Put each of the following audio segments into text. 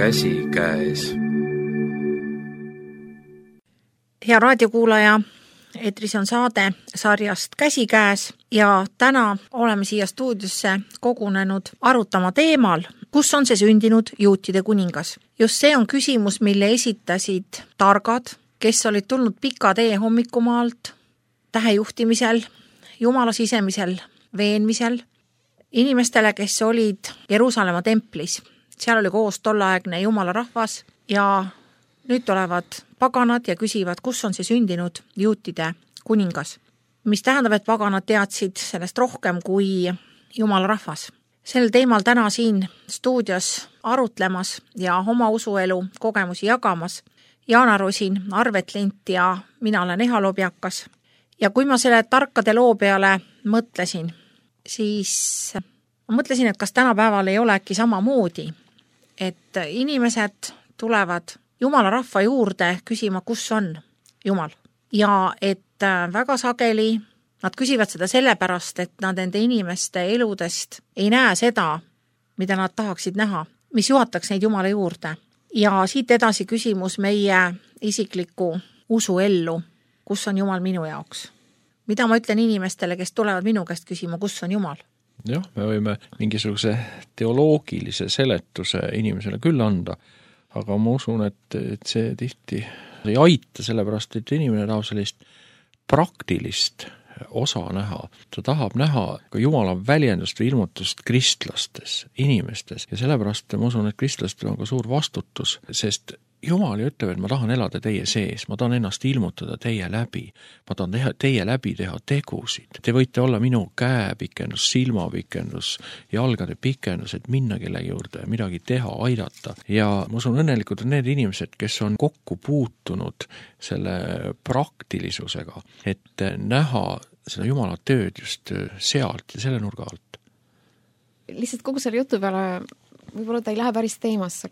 käsikäes. Hea raadiokuulaja, eetris on saade sarjast Käsikäes ja täna oleme siia stuudiosse kogunenud arutama teemal, kus on see sündinud juutide kuningas. Just see on küsimus, mille esitasid targad, kes olid tulnud pika tee hommikumaalt, tähejuhtimisel, Jumala sisemisel veenmisel, inimestele, kes olid Jeruusalemma templis. Seal oli koos tolleaegne Jumala rahvas ja nüüd tulevad paganad ja küsivad, kus on see sündinud juutide kuningas. Mis tähendab, et paganad teadsid sellest rohkem kui Jumala rahvas. Sel teemal täna siin stuudios arutlemas ja oma usuelu kogemusi jagamas Jaana Rosin, Arvet Lint ja mina olen Eha Lobjakas. Ja kui ma selle tarkade loo peale mõtlesin, siis ma mõtlesin, et kas tänapäeval ei ole äkki samamoodi, et inimesed tulevad Jumala rahva juurde küsima, kus on Jumal. Ja et väga sageli nad küsivad seda sellepärast, et nad enda inimeste eludest ei näe seda, mida nad tahaksid näha, mis juhataks neid Jumala juurde. Ja siit edasi küsimus meie isikliku usuellu, kus on Jumal minu jaoks. Mida ma ütlen inimestele, kes tulevad minu käest küsima, kus on Jumal? Jah, me võime mingisuguse teoloogilise seletuse inimesele küll anda, aga ma usun, et see tihti ei aita, sellepärast, et inimene tahab sellist praktilist osa näha. Ta tahab näha ka Jumala väljendust või ilmutust kristlastes, inimestes. Ja sellepärast ma usun, et kristlastel on ka suur vastutus, sest Jumal ütleb, et ma tahan elada teie sees, ma tahan ennast ilmutada teie läbi, ma tahan teie läbi teha tegusid. Te võite olla minu käepikendus, silmapikendus, jalgade pikendus, et minna kellegi juurde, midagi teha, aidata. Ja ma usun õnnelikult on need inimesed, kes on kokku puutunud selle praktilisusega, et näha seda Jumala tööd just sealt ja selle nurga alt. Lihtsalt kogu selle jutu peale, võib-olla ta ei lähe päris teemasse,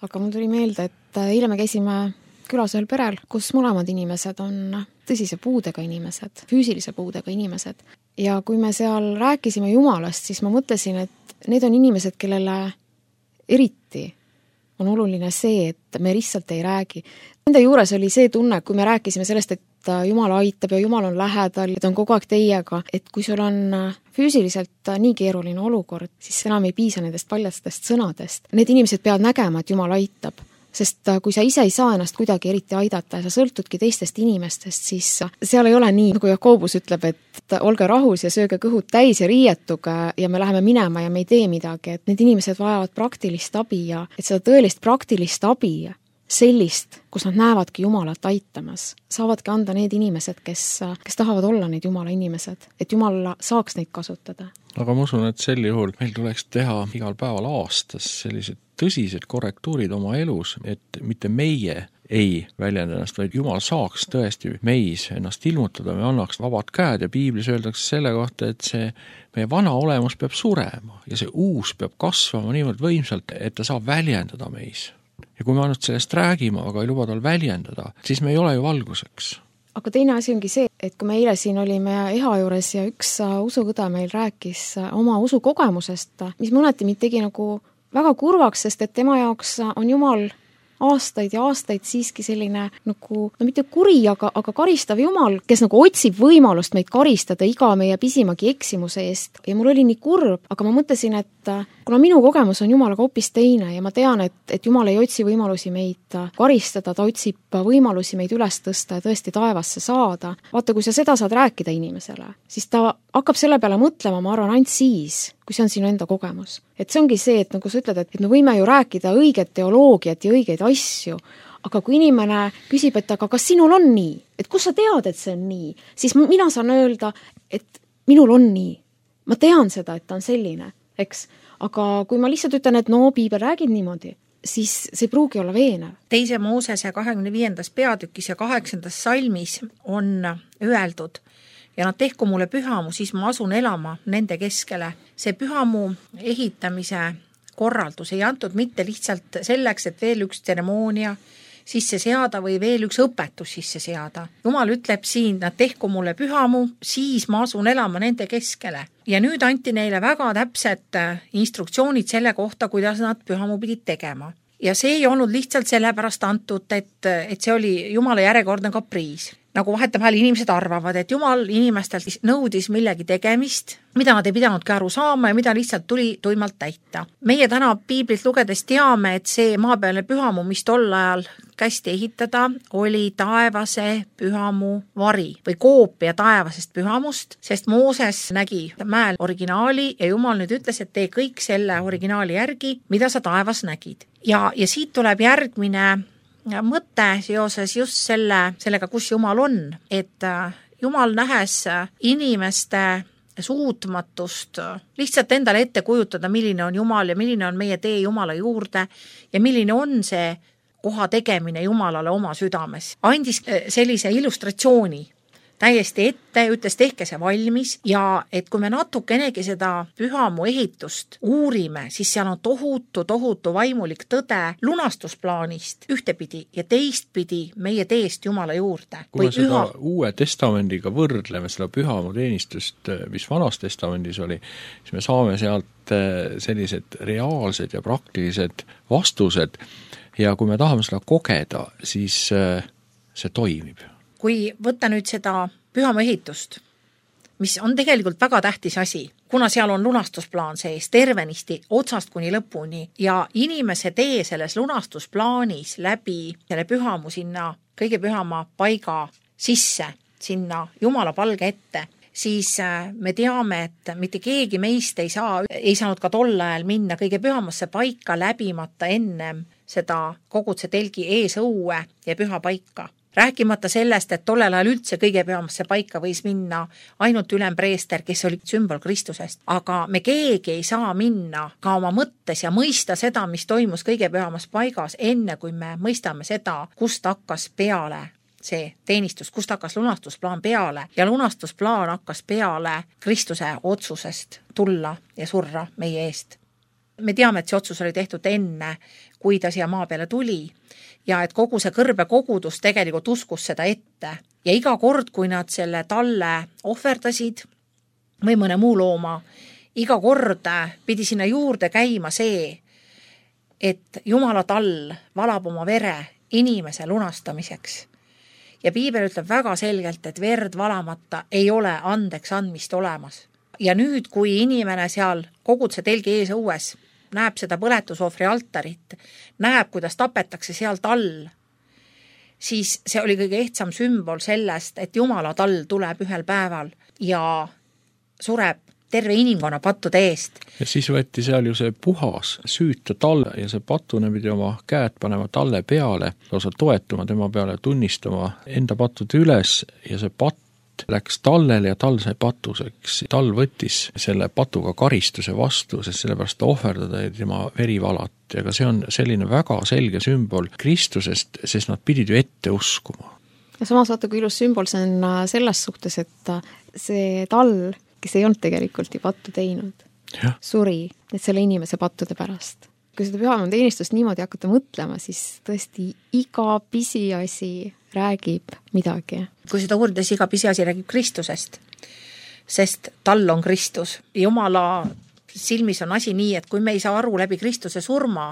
aga mul tuli meelde, et eile me käisime külas ühel perel, kus mõlemad inimesed on tõsise puudega inimesed, füüsilise puudega inimesed. Ja kui me seal rääkisime Jumalast, siis ma mõtlesin, et need on inimesed, kellele eriti on oluline see, et me lihtsalt ei räägi. Nende juures oli see tunne, kui me rääkisime sellest, et Jumal aitab ja Jumal on lähedal, et on kogu aeg teiega, et kui sul on füüsiliselt nii keeruline olukord, siis enam ei piisa nendest paljastest sõnadest. Need inimesed peavad nägema, et Jumal aitab, sest kui sa ise ei saa ennast kuidagi eriti aidata ja sa sõltudki teistest inimestest, siis seal ei ole nii, nagu Jakobus ütleb, et olge rahus ja sööge kõhud täis ja riietuge ja me läheme minema ja me ei tee midagi, et need inimesed vajavad praktilist abi ja et seda tõelist praktilist abi sellist, kus nad näevadki Jumalat aitamas, saavadki anda need inimesed, kes tahavad olla need Jumala inimesed, et Jumal saaks neid kasutada. Aga ma usun, et sel juhul meil tuleks teha igal päeval aastas sellised tõsised korrektuurid oma elus, et mitte meie ei väljenda ennast, vaid Jumal saaks tõesti meis ennast ilmutada, me annaks vabad käed ja Piiblis öeldakse selle kohta, et see meie vana olemus peab surema ja see uus peab kasvama niivõrd võimsalt, et ta saab väljendada meis. Ja kui me ainult sellest räägime, aga ei luba tal väljendada, siis me ei ole ju valguseks. Aga teine asi ongi see, et kui me eile siin olime Eha juures ja üks usukõde meil rääkis oma usukogemusest, mis mõneti mind tegi nagu väga kurvaks, sest et tema jaoks on Jumal aastaid ja aastaid siiski selline nagu, no mitte kuri, aga karistav Jumal, kes nagu otsib võimalust meid karistada iga meie pisimagi eksimuse eest. Ja mul oli nii kurb, aga ma mõtlesin, et kuna minu kogemus on Jumalaga hoopis teine ja ma tean, et Jumal ei otsi võimalusi meid karistada, ta otsib võimalusi meid üles tõsta ja tõesti taevasse saada. Vaata, kui sa seda saad rääkida inimesele, siis ta hakkab selle peale mõtlema, ma arvan, ainult siis, kui see on sinu enda kogemus. Et see ongi see, et nagu sa ütled, et me võime ju rääkida õiget teoloogiat ja õigeid asju, aga kui inimene küsib, et aga kas sinul on nii? Et kus sa tead, et see on nii? Siis mina saan öelda, et minul on nii. Ma tean seda, et ta on selline, eks? Aga kui ma lihtsalt ütlen, et no, Piibel räägib niimoodi, siis see pruugi olla veenev. Teise Moosese 25. peatükis ja 8. salmis on öeldud, ja nad tehku mulle pühamu, siis ma asun elama nende keskele. See pühamu ehitamise korraldus ei antud mitte lihtsalt selleks, et veel üks tseremoonia sisse seada või veel üks õpetus sisse seada. Jumal ütleb siin, nad tehku mulle pühamu, siis ma asun elama nende keskele. Ja nüüd anti neile väga täpsed instruktsioonid selle kohta, kuidas nad pühamu pidid tegema. Ja see ei olnud lihtsalt sellepärast antud, et see oli Jumala järjekordne kapriis. Nagu vahetevahel inimesed arvavad, et Jumal inimestelt nõudis millegi tegemist, mida nad ei pidanudki aru saama ja mida lihtsalt tuli tuimalt täita. Meie täna piiblit lugedes teame, et see maapealne pühamu, mis tol ajal kästi ehitada, oli taevase pühamu vari või koopia taevasest pühamust, sest Mooses nägi mäel originaali ja Jumal nüüd ütles, et tee kõik selle originaali järgi, mida sa taevas nägid. Ja siit tuleb järgmine mõte seoses just sellega, kus Jumal on, et Jumal nähes inimeste suutmatust lihtsalt endale ette kujutada, milline on Jumal ja milline on meie tee Jumala juurde ja milline on see koha tegemine Jumalale oma südames. Andis sellise illustratsiooni täiesti ette, ütles tehke see valmis ja et kui me natukenegi seda pühamu ehitust uurime, siis seal on tohutu vaimulik tõde lunastusplaanist ühtepidi ja teistpidi meie teest Jumala juurde. Kui me seda Uue Testamendiga võrdleme seda pühamu teenistust, mis Vanas Testamendis oli, siis me saame sealt sellised reaalsed ja praktilised vastused ja kui me tahame seda kogeda, siis see toimib. Kui võtta nüüd seda pühamu ehitust, mis on tegelikult väga tähtis asi, kuna seal on lunastusplaan sees tervenisti otsast kuni lõpuni ja inimese tee selles lunastusplaanis läbi selle pühamu sinna kõige pühama paiga sisse, sinna Jumala palge ette, siis me teame, et mitte keegi meist ei saanud ka tol ajal minna kõige pühamasse paika läbimata ennem seda koguduse telgi eesõue ja püha paika. Rääkimata sellest, et tollel ajal üldse kõige pühamasse paika võis minna ainult ülempreester, kes oli sümbol Kristusest. Aga me keegi ei saa minna ka oma mõttes ja mõista seda, mis toimus kõige pühamas paigas, enne kui me mõistame seda, kust hakkas peale see teenistus, kust hakkas lunastusplaan peale ja lunastusplaan hakkas peale Kristuse otsusest tulla ja surra meie eest. Me teame, et see otsus oli tehtud enne, kui ta siia maa peale tuli ja et kogu see kõrbe kogudus tegelikult uskus seda ette. Ja iga kord, kui nad selle talle ohverdasid või mõne muu looma, iga kord pidi sinna juurde käima see, et Jumala tall valab oma vere inimese lunastamiseks. Ja piibel ütleb väga selgelt, et verd valamata ei ole andeks andmist olemas. Ja nüüd, kui inimene seal koguduse telgi ees õues näeb seda põletusohvri altarit, näeb, kuidas tapetakse seal tall, siis see oli kõige ehtsam sümbol sellest, et Jumala tall tuleb ühel päeval ja sureb terve inimkonna pattude eest. Ja siis võeti seal ju see puhas süüta tall ja see patune pidi oma käed panema talle peale, lausa toetuma tema peale, tunnistama enda pattude üles ja see patt läks tallele ja tall sai patuseks. Tall võttis selle patuga karistuse vastu, sest sellepärast ta ohverdada ja tema veri valati. Aga see on selline väga selge sümbol Kristusest, sest nad pidid ju ette uskuma. Ja samas vaata, kui ilus sümbol see on selles suhtes, et see tall, kes ei olnud tegelikult ju pattu teinud, suri selle inimese pattude pärast. Kui seda pühamu teenistust niimoodi hakata mõtlema, siis tõesti iga pisiasi räägib midagi. Kui seda uurides iga pisiasi räägib Kristusest, sest tall on Kristus. Jumala silmis on asi nii, et kui me ei saa aru läbi Kristuse surma,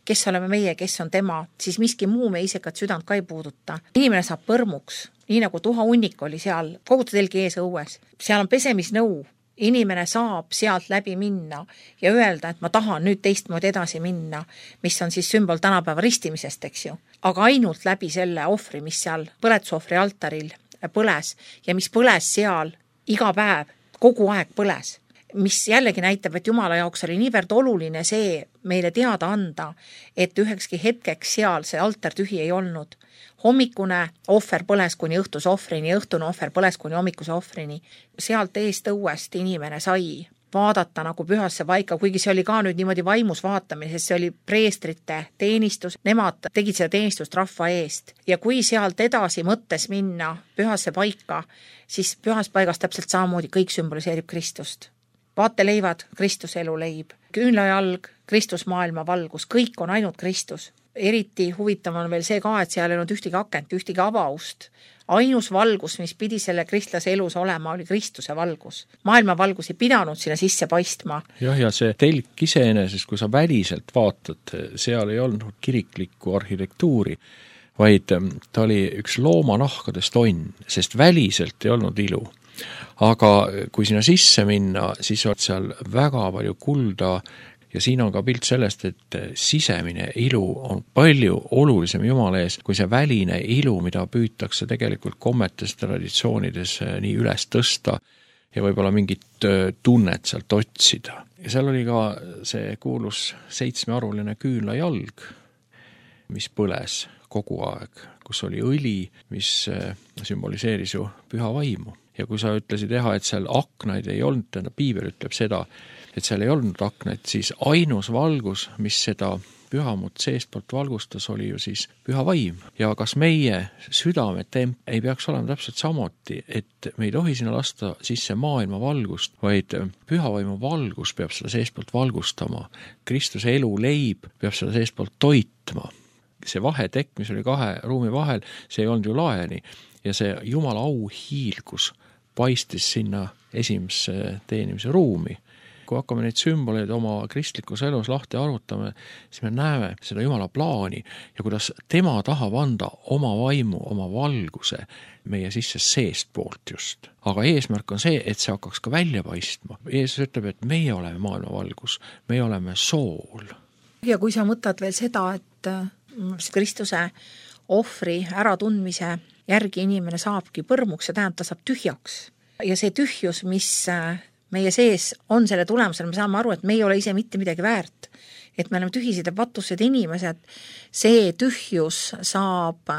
kes oleme meie, kes on tema, siis miski muu me isekat südant ka ei puuduta. Inimene saab põrmuks, nii nagu tuha hunnik oli seal koguduse telgi ees õues. Seal on pesemisnõu. Inimene saab sealt läbi minna ja öelda, et ma tahan nüüd teistmoodi edasi minna, mis on siis sümbol tänapäeva ristimisest, eks ju. Aga ainult läbi selle ohvri, mis seal põletusohvri altaril põles ja mis põles seal iga päev, kogu aeg põles. Mis jällegi näitab, et Jumala jaoks oli niivõrd oluline see meile teada anda, et ühekski hetkeks seal see altar tühi ei olnud. Hommikune ohver põles kuni õhtuse ohvrini, õhtune ohver põles kuni hommikuse ohvrini. Sealt eest õuest inimene sai vaadata nagu pühasse paika, kuigi see oli ka nüüd niimoodi vaimus vaatamine, sest see oli preestrite teenistus, nemad tegid seda teenistust rahva eest. Ja kui sealt edasi mõttes minna pühasse paika, siis pühas paigas täpselt samamoodi kõik sümboliseerib Kristust. Vaateleivad, Kristuse eluleib, küünlajalg, Kristus maailma valgus, kõik on ainult Kristus. Eriti huvitav on veel see ka, et seal ei olnud ühtegi akent, ühtegi avaust. ainus valgus, mis pidi selle kristlase elus olema, oli Kristuse valgus. Maailma valgus ei pidanud sinna sisse paistma. Jah, ja see telk iseenesest, kui sa väliselt vaatad, seal ei olnud kiriklikku arhitektuuri, vaid ta oli üks loomanahkadest onn, sest väliselt ei olnud ilu. Aga kui sinna sisse minna, siis on seal väga palju kulda ja siin on ka pilt sellest, et sisemine ilu on palju olulisem Jumala ees, kui see väline ilu, mida püütakse tegelikult kommetes, traditsioonides nii üles tõsta ja võib-olla mingit tunnet sealt otsida. Ja seal oli ka see kuulus 7-aruline küünlajalg, mis põles kogu aeg, kus oli õli, mis sümboliseeris ju püha vaimu. Ja kui sa ütlesid et seal aknaid ei olnud, Piibel ütleb seda, et seal ei olnud aknaid, siis ainus valgus, mis seda pühamut seestpoolt valgustas, oli ju siis püha vaim. Ja kas meie südametemp ei peaks olema täpselt samuti, et me ei tohi sinna lasta sisse maailma valgust, vaid püha vaimu valgus peab seda seestpoolt valgustama. Kristuse elu leib peab seda seestpoolt toitma. See vahetekk, mis oli 2 ruumi vahel, see ei olnud ju laeni ja see Jumala auhiilgus paistis sinna esimesse teenimise ruumi. Kui hakkame neid sümboleid oma kristlikus elus lahti arvutame, siis me näeme seda Jumala plaani ja kuidas tema tahab anda oma vaimu, oma valguse meie sisse seest poolt just. Aga eesmärk on see, et see hakkaks ka välja paistma. Jeesus ütleb, et meie oleme maailma valgus, meie oleme sool. Ja kui sa mõtled veel seda, et Kristuse ohvri äratundmise järgi inimene saabki põrmuks, see tähendab, ta saab tühjaks. Ja see tühjus, mis meie sees on selle tulemusel, me saame aru, et me ei ole ise mitte midagi väärt. Et me oleme tühised ja patused inimesed. See tühjus saab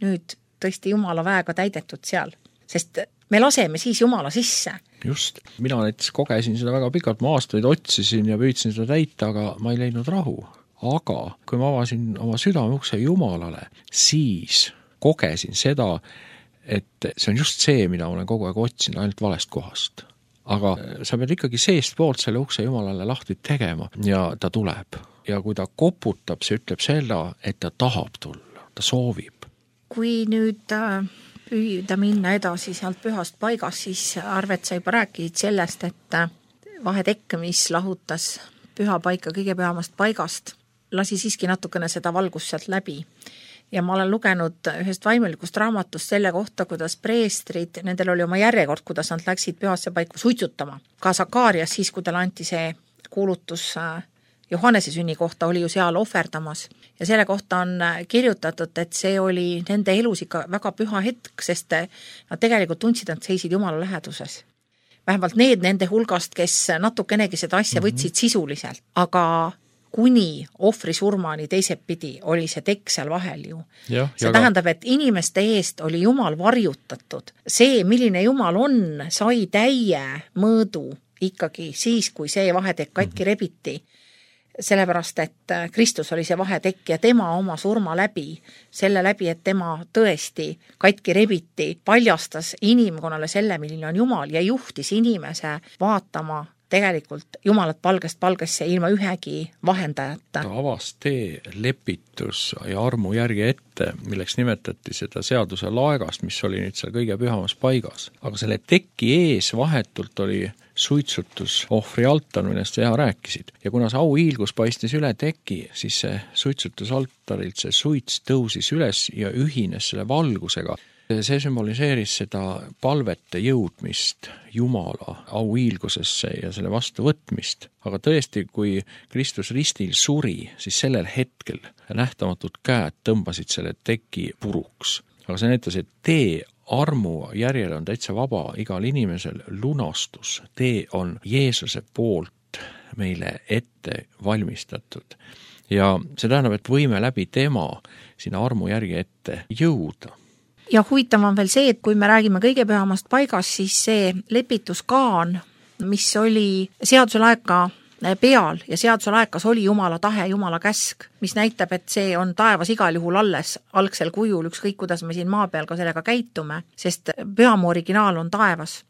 nüüd tõesti Jumala väega täidetud seal. Sest me laseme siis Jumala sisse. Just. Mina näiteks kogesin seda väga pikalt, ma aastaid otsisin ja püüdsin seda täita, aga ma ei leidnud rahu. Aga kui ma avasin oma südameukse Jumalale, siis kogesin seda, et see on just see, mida olen kogu aeg otsinud ainult valest kohast. Aga sa pead ikkagi seest poolt selle ukse Jumalale lahti tegema ja ta tuleb. Ja kui ta koputab, see ütleb seda, et ta tahab tulla, ta soovib. Kui nüüd püüda minna edasi sealt pühast paigast, siis Arvet sa juba rääkisid sellest, et vahetekk, mis lahutas püha paika kõige pühamast paigast, lasi siiski natukene seda valgust sealt läbi. Ja ma olen lugenud ühest vaimulikust raamatust selle kohta, kuidas preestrid, nendel oli oma järjekord, kuidas nad läksid pühasse paiku suitsutama. Ka Sakarias siis, kui tal anti see kuulutus Johannese sünni kohta, oli ju seal ohverdamas. Ja selle kohta on kirjutatud, et see oli nende elus ikka väga püha hetk, sest nad tegelikult tundsid, et seisid Jumala läheduses. Vähemalt need nende hulgast, kes natukenegi seda asja võtsid sisuliselt, aga kuni ohvri surmani teiselt pidi oli see tekk seal vahel ju. See tähendab, et inimeste eest oli Jumal varjutatud. See, milline Jumal on, sai täie mõõdu ikkagi siis, kui see vahetekk katki rebiti. Sellepärast, et Kristus oli see vahetekk ja tema oma surma läbi, selle läbi, et tema tõesti katki rebiti, paljastas inimkonnale selle, milline on Jumal ja juhtis inimese vaatama tegelikult Jumalat palgest palgesse ilma ühegi vahendajata. Ta avas tee lepitus ja armu järgi ette, milleks nimetati seda seaduse laegast, mis oli nüüd seal kõige pühamas paigas. Aga selle teki ees vahetult oli suitsutus ohvri altar, millest sa rääkisid. Ja kuna see auhiilgus paistis üle teki, siis see suitsutusaltarilt see suits tõusis üles ja ühines selle valgusega. See symboliseeris seda palvete jõudmist Jumala auhiilgusesse ja selle vastuvõtmist. Aga tõesti, kui Kristus ristil suri, siis sellel hetkel nähtamatud käed tõmbasid selle teki puruks. Aga see näitas, et tee armu järjel on täitsa vaba igal inimesel lunastus. Tee on Jeesuse poolt meile ette valmistatud. Ja see tähendab, et võime läbi tema sinna armu järgi ette jõuda. Ja huvitav on veel see, et kui me räägime kõige pühamast paigast, siis see lepituskaan, mis oli seaduse laeka peal ja seaduse laekas oli Jumala tahe, Jumala käsk, mis näitab, et see on taevas igal juhul alles algsel kujul, ükskõik kuidas me siin maa peal ka sellega käitume, sest pühamu originaal on taevas.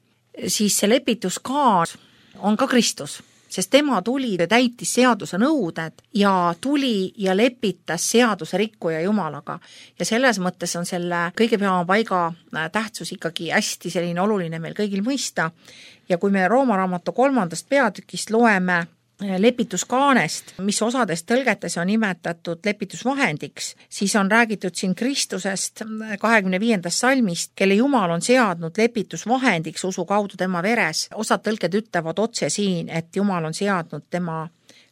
Siis see lepituskaan on ka Kristus. sest tema tuli ja täitis seaduse nõuded ja tuli ja lepitas seaduse rikkuja Jumalaga. Ja selles mõttes on selle kõige pühama paiga tähtsus ikkagi hästi selline oluline meil kõigil mõista. Ja kui me Rooma raamatu 3. peatükist loeme lepituskaanest, mis osades tõlgetes on nimetatud lepitusvahendiks, siis on räägitud siin Kristusest 25. salmist, kelle Jumal on seadnud lepitusvahendiks usu kaudu tema veres. Osad tõlged ütlevad otse siin, et Jumal on seadnud tema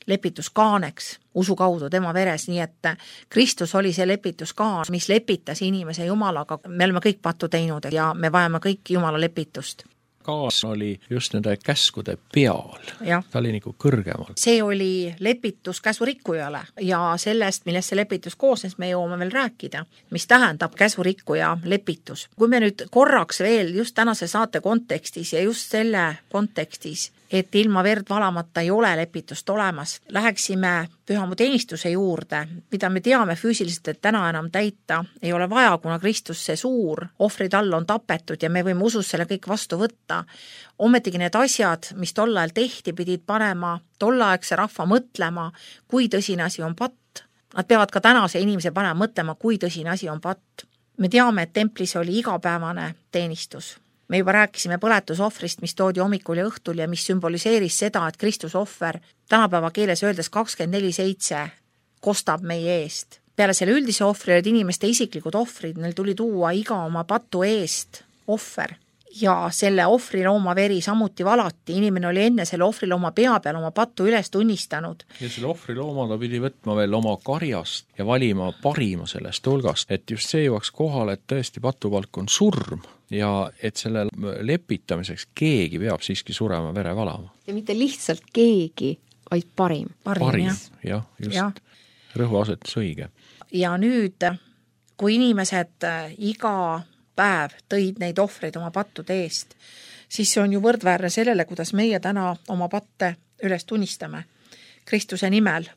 lepituskaaneks usu kaudu tema veres, nii et Kristus oli see lepituskaan, mis lepitas inimese Jumalaga. Me oleme kõik pattu teinud ja me vajame kõik Jumala lepitust. Kaas oli just nende käskude peal. Ta oli nagu kõrgemal. See oli lepitus käsurikkujale ja sellest, millest see lepitus koosnes, me jõuame veel rääkida, mis tähendab käsurikkuja lepitus. Kui me nüüd korraks veel just tänase saate kontekstis ja just selle kontekstis, et ilma verd valamata ei ole lepitust olemas, läheksime pühamu teenistuse juurde, mida me teame füüsiliselt, et täna enam täita ei ole vaja, kuna Kristus see suur ohvrid all on tapetud ja me võime usus selle kõik vastu võtta. Ometigi need asjad, mis tol ajal tehti, pidid panema tollaegse rahva mõtlema, kui tõsine asi on patt. Nad peavad ka tänase inimese panema mõtlema, kui tõsine asi on patt. Me teame, et templis oli igapäevane teenistus. Me juba rääkisime põletusohvrist, mis toodi hommikul ja õhtul ja mis sümboliseeris seda, et Kristuse ohver tänapäeva keeles öeldes 24/7 kostab meie eest. Peale selle üldise ohvri olid inimeste isiklikud ohvrid, neil tuli tuua iga oma patu eest ohver. Ja selle ohvrilooma veri samuti valati, inimene oli enne selle ohvrilooma pea peal oma pattu üles tunnistanud. Ja selle ohvrilooma ta pidi võtma veel oma karjast ja valima parima sellest hulgast, et just see jõuaks kohale, et tõesti patupalk on surm ja et selle lepitamiseks keegi peab siiski surema vere valama. Ja mitte lihtsalt keegi, vaid parim. Parim, jah, just ja. Rõhuasetus õige. Ja nüüd, kui inimesed iga päev tõid neid ohvreid oma pattude eest, siis see on ju võrdväärne sellele, kuidas meie täna oma patte üles tunnistame Kristuse nimel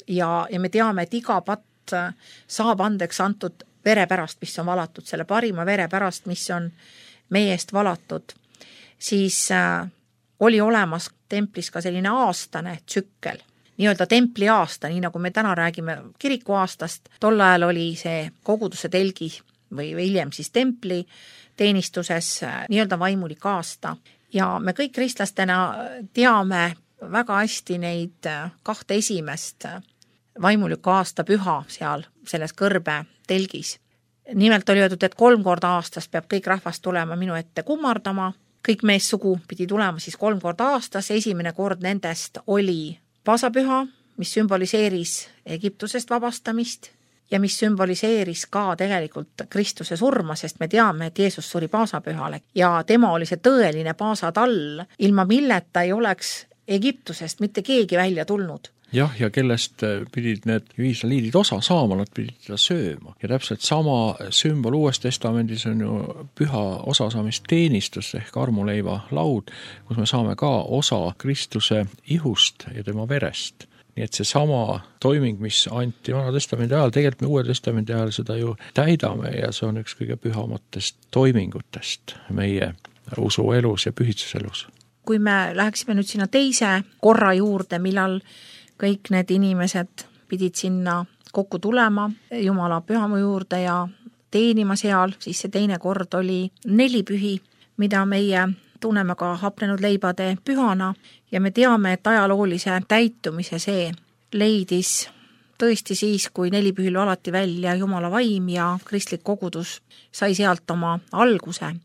ja me teame, et iga patt saab andeks antud vere pärast, mis on valatud, selle parima vere pärast, mis on meie eest valatud, siis oli olemas templis ka selline aastane tsükkel, nii-öelda templi aasta, nii nagu me täna räägime kiriku aastast, tol ajal oli see koguduse telgi või hiljem siis templi teenistuses nii-öelda vaimulik aasta. Ja me kõik kristlastena teame väga hästi neid 2 esimest vaimuliku aasta püha seal selles kõrbe telgis. Nimelt oli öeldud, et 3 korda aastas peab kõik rahvas tulema minu ette kummardama, kõik meessugu pidi tulema siis 3 korda aastas, esimene kord nendest oli paasapüha, mis sümboliseeris Egiptusest vabastamist, ja mis sümboliseeris ka tegelikult Kristuse surma, sest me teame, et Jeesus suri paasapühale ja tema oli see tõeline paasatall, ilma milleta ei oleks Egiptusest mitte keegi välja tulnud. Jah, ja kellest pidid need iisraeliidid osa saama, nad pidid seda sööma. Ja täpselt sama sümbol Uues Testamendis on ju püha osasaamisteenistus ehk armuleiva laud, kus me saame ka osa Kristuse ihust ja tema verest. Nii et see sama toiming, mis anti Vana Testamendi ajal, tegelikult me Uue Testamendi ajal seda ju täidame ja see on üks kõige pühamatest toimingutest meie usuelus ja pühitsuselus. Kui me läheksime nüüd sinna teise korra juurde, millal kõik need inimesed pidid sinna kokku tulema Jumala pühamu juurde ja teenima seal, siis see teine kord oli 4 pühi, mida meie tunneme ka hapnenud leibade pühana ja me teame, et ajaloolise täitumise see leidis tõesti siis, kui 4 pühil alati välja Jumala vaim ja kristlik kogudus sai sealt oma alguse.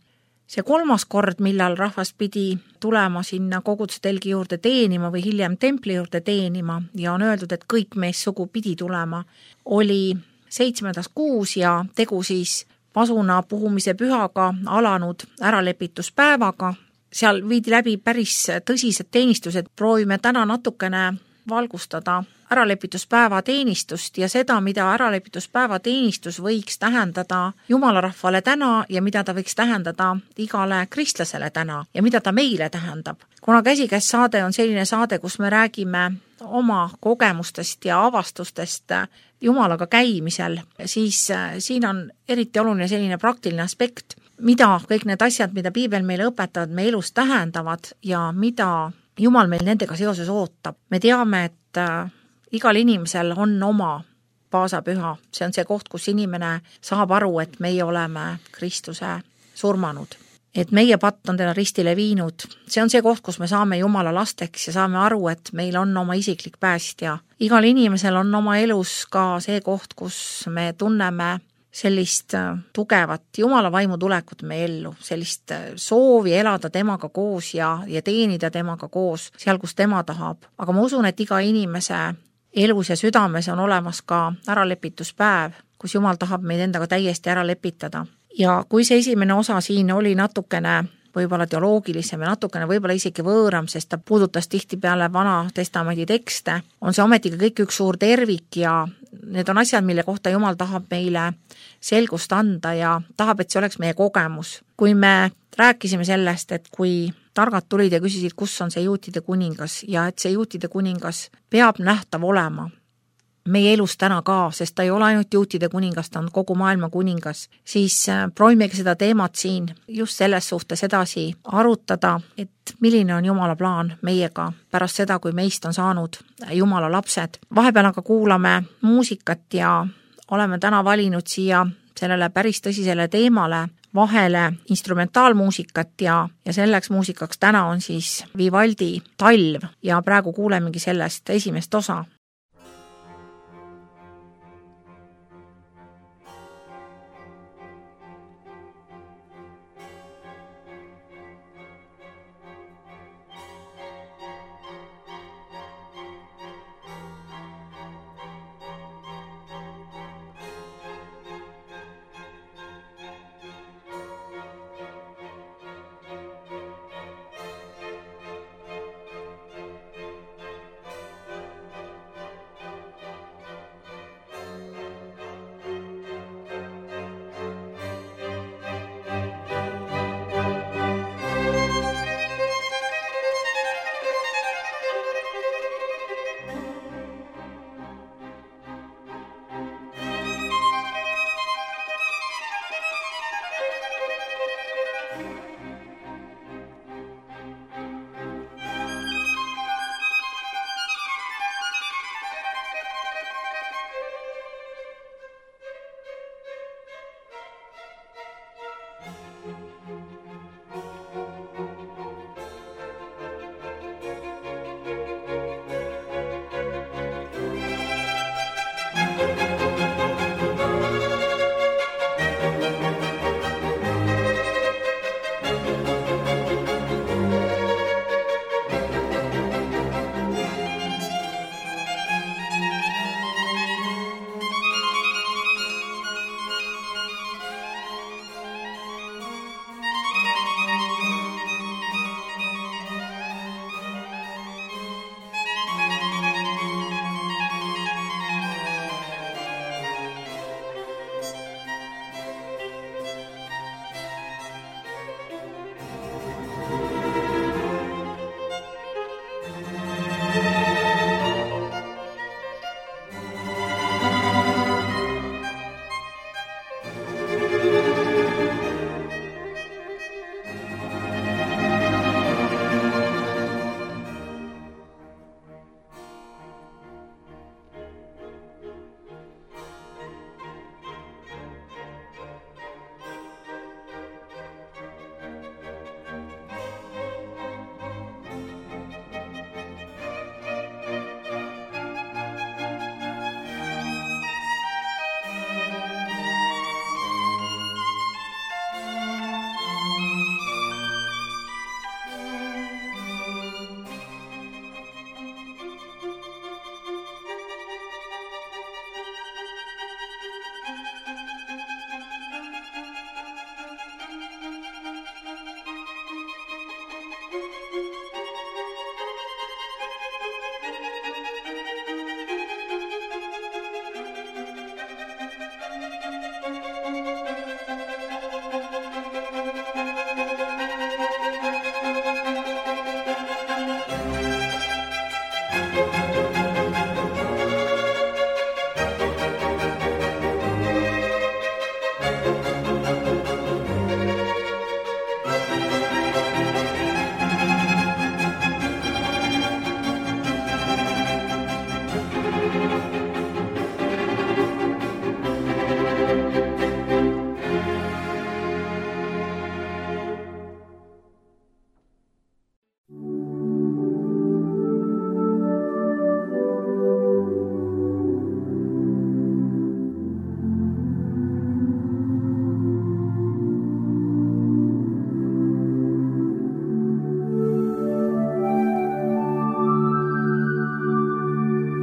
See 3. kord, millal rahvas pidi tulema sinna koguduse telgi juurde teenima või hiljem templi juurde teenima ja on öeldud, et kõik meessugu pidi tulema, oli 7. kuus ja tegu siis pasuna puhumise pühaga alanud äralepituspäevaga. Seal viidi läbi päris tõsised teenistused, proovime täna natukene valgustada äralepituspäeva teenistust ja seda, mida äralepituspäeva teenistus võiks tähendada Jumala rahvale täna ja mida ta võiks tähendada igale kristlasele täna ja mida ta meile tähendab. Kuna Käsikäes saade on selline saade, kus me räägime oma kogemustest ja avastustest Jumalaga käimisel, siis siin on eriti oluline selline praktiline aspekt, mida kõik need asjad, mida piibel meile õpetavad, me elus tähendavad ja mida Jumal meil nendega seoses ootab. Me teame, et igal inimesel on oma paasapüha. See on see koht, kus inimene saab aru, et meie oleme Kristuse surmanud. Et meie patt on teda ristile viinud. See on see koht, kus me saame Jumala lasteks ja saame aru, et meil on oma isiklik päästja. Igal inimesel on oma elus ka see koht, kus me tunneme sellist tugevat Jumala vaimu tulekut meie ellu, sellist soovi elada temaga koos ja teenida temaga koos seal, kus tema tahab. Aga ma usun, et iga inimese elus ja südames on olemas ka äralepituspäev, kus Jumal tahab meid endaga täiesti ära lepitada. Ja kui see esimene osa siin oli natukene võib-olla teoloogilisem ja natukene võib-olla isegi võõram, sest ta puudutas tihtipeale Vana Testamendi tekste, on see ometiga kõik üks suur tervik ja need on asjad, mille kohta Jumal tahab meile selgust anda ja tahab, et see oleks meie kogemus. Kui me rääkisime sellest, et kui targad tulid ja küsisid, kus on see juutide kuningas ja et see juutide kuningas peab nähtav olema meie elus täna ka, sest ta ei ole ainult juutide kuningas, ta on kogu maailma kuningas, siis proovimegi seda teemat siin just selles suhtes edasi arutada, et milline on Jumala plaan meiega pärast seda, kui meist on saanud Jumala lapsed. Vahepeal aga kuulame muusikat ja oleme täna valinud siia sellele päris tõsisele teemale vahele instrumentaalmuusikat ja selleks muusikaks täna on siis Vivaldi Talv ja praegu kuulemegi sellest esimest osa.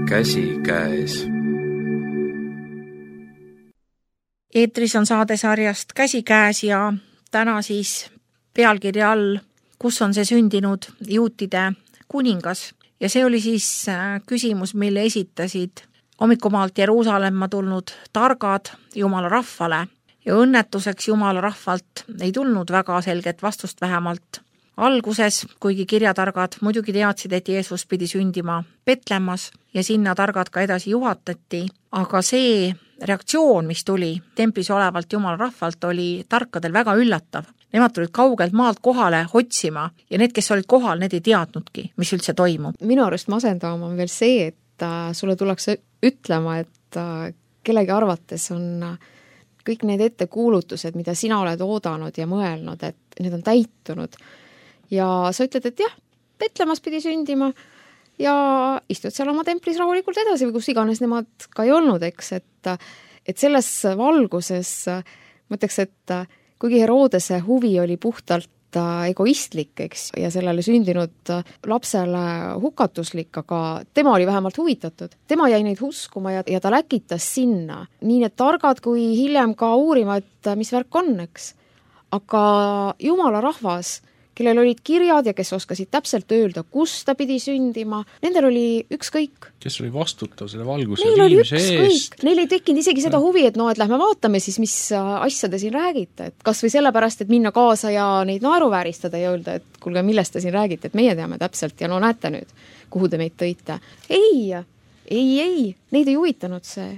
käsikäes. Eetris on saadesarjast Käsikäes ja täna siis pealkirja all, kus on see sündinud juutide kuningas. Ja see oli siis küsimus, mille esitasid hommikumaalt Jeruusalemma tulnud targad Jumala rahvale. Ja õnnetuseks Jumala rahvalt ei tulnud väga selget vastust vähemalt alguses, kuigi kirjatargad muidugi teadsid, et Jeesus pidi sündima Petlemmas ja sinna targad ka edasi juhatati, aga see reaktsioon, mis tuli templis olevalt Jumala rahvalt, oli tarkadel väga üllatav. Nemad tulid kaugelt maalt kohale otsima ja need, kes olid kohal, need ei teadnudki, mis üldse toimub. Minu arust masendavam on veel see, et sulle tullakse ütlema, et kellegi arvates on kõik need ettekuulutused, mida sina oled oodanud ja mõelnud, et need on täitunud. Ja sa ütled, et jah, Petlemmas pidi sündima ja istud seal oma templis rahulikult edasi või kus iganes nemad ka ei olnud, eks, et selles valguses mõtleks, et kuigi Herodese huvi oli puhtalt egoistlik, eks, ja sellele sündinud lapsele hukatuslik, aga tema oli vähemalt huvitatud. Tema jäi neid uskuma ja ta läkitas sinna. Nii need targad kui hiljem ka uurima, et mis värk on, eks. Aga Jumala rahvas, kellel olid kirjad ja kes oskasid täpselt öelda, kus ta pidi sündima, nendel oli ükskõik. Kes oli vastutav selle valguse Neil oli viimise eest. Neil ei tekkinud isegi seda huvi, et et lähme vaatame siis, mis asja te siin räägite. Et kas või sellepärast, et minna kaasa ja neid naeruvääristada ja öelda, et kuulge, millest te siin räägite, et meie teame täpselt ja näete nüüd, kuhu te meid tõite. Ei, neid ei huvitanud see.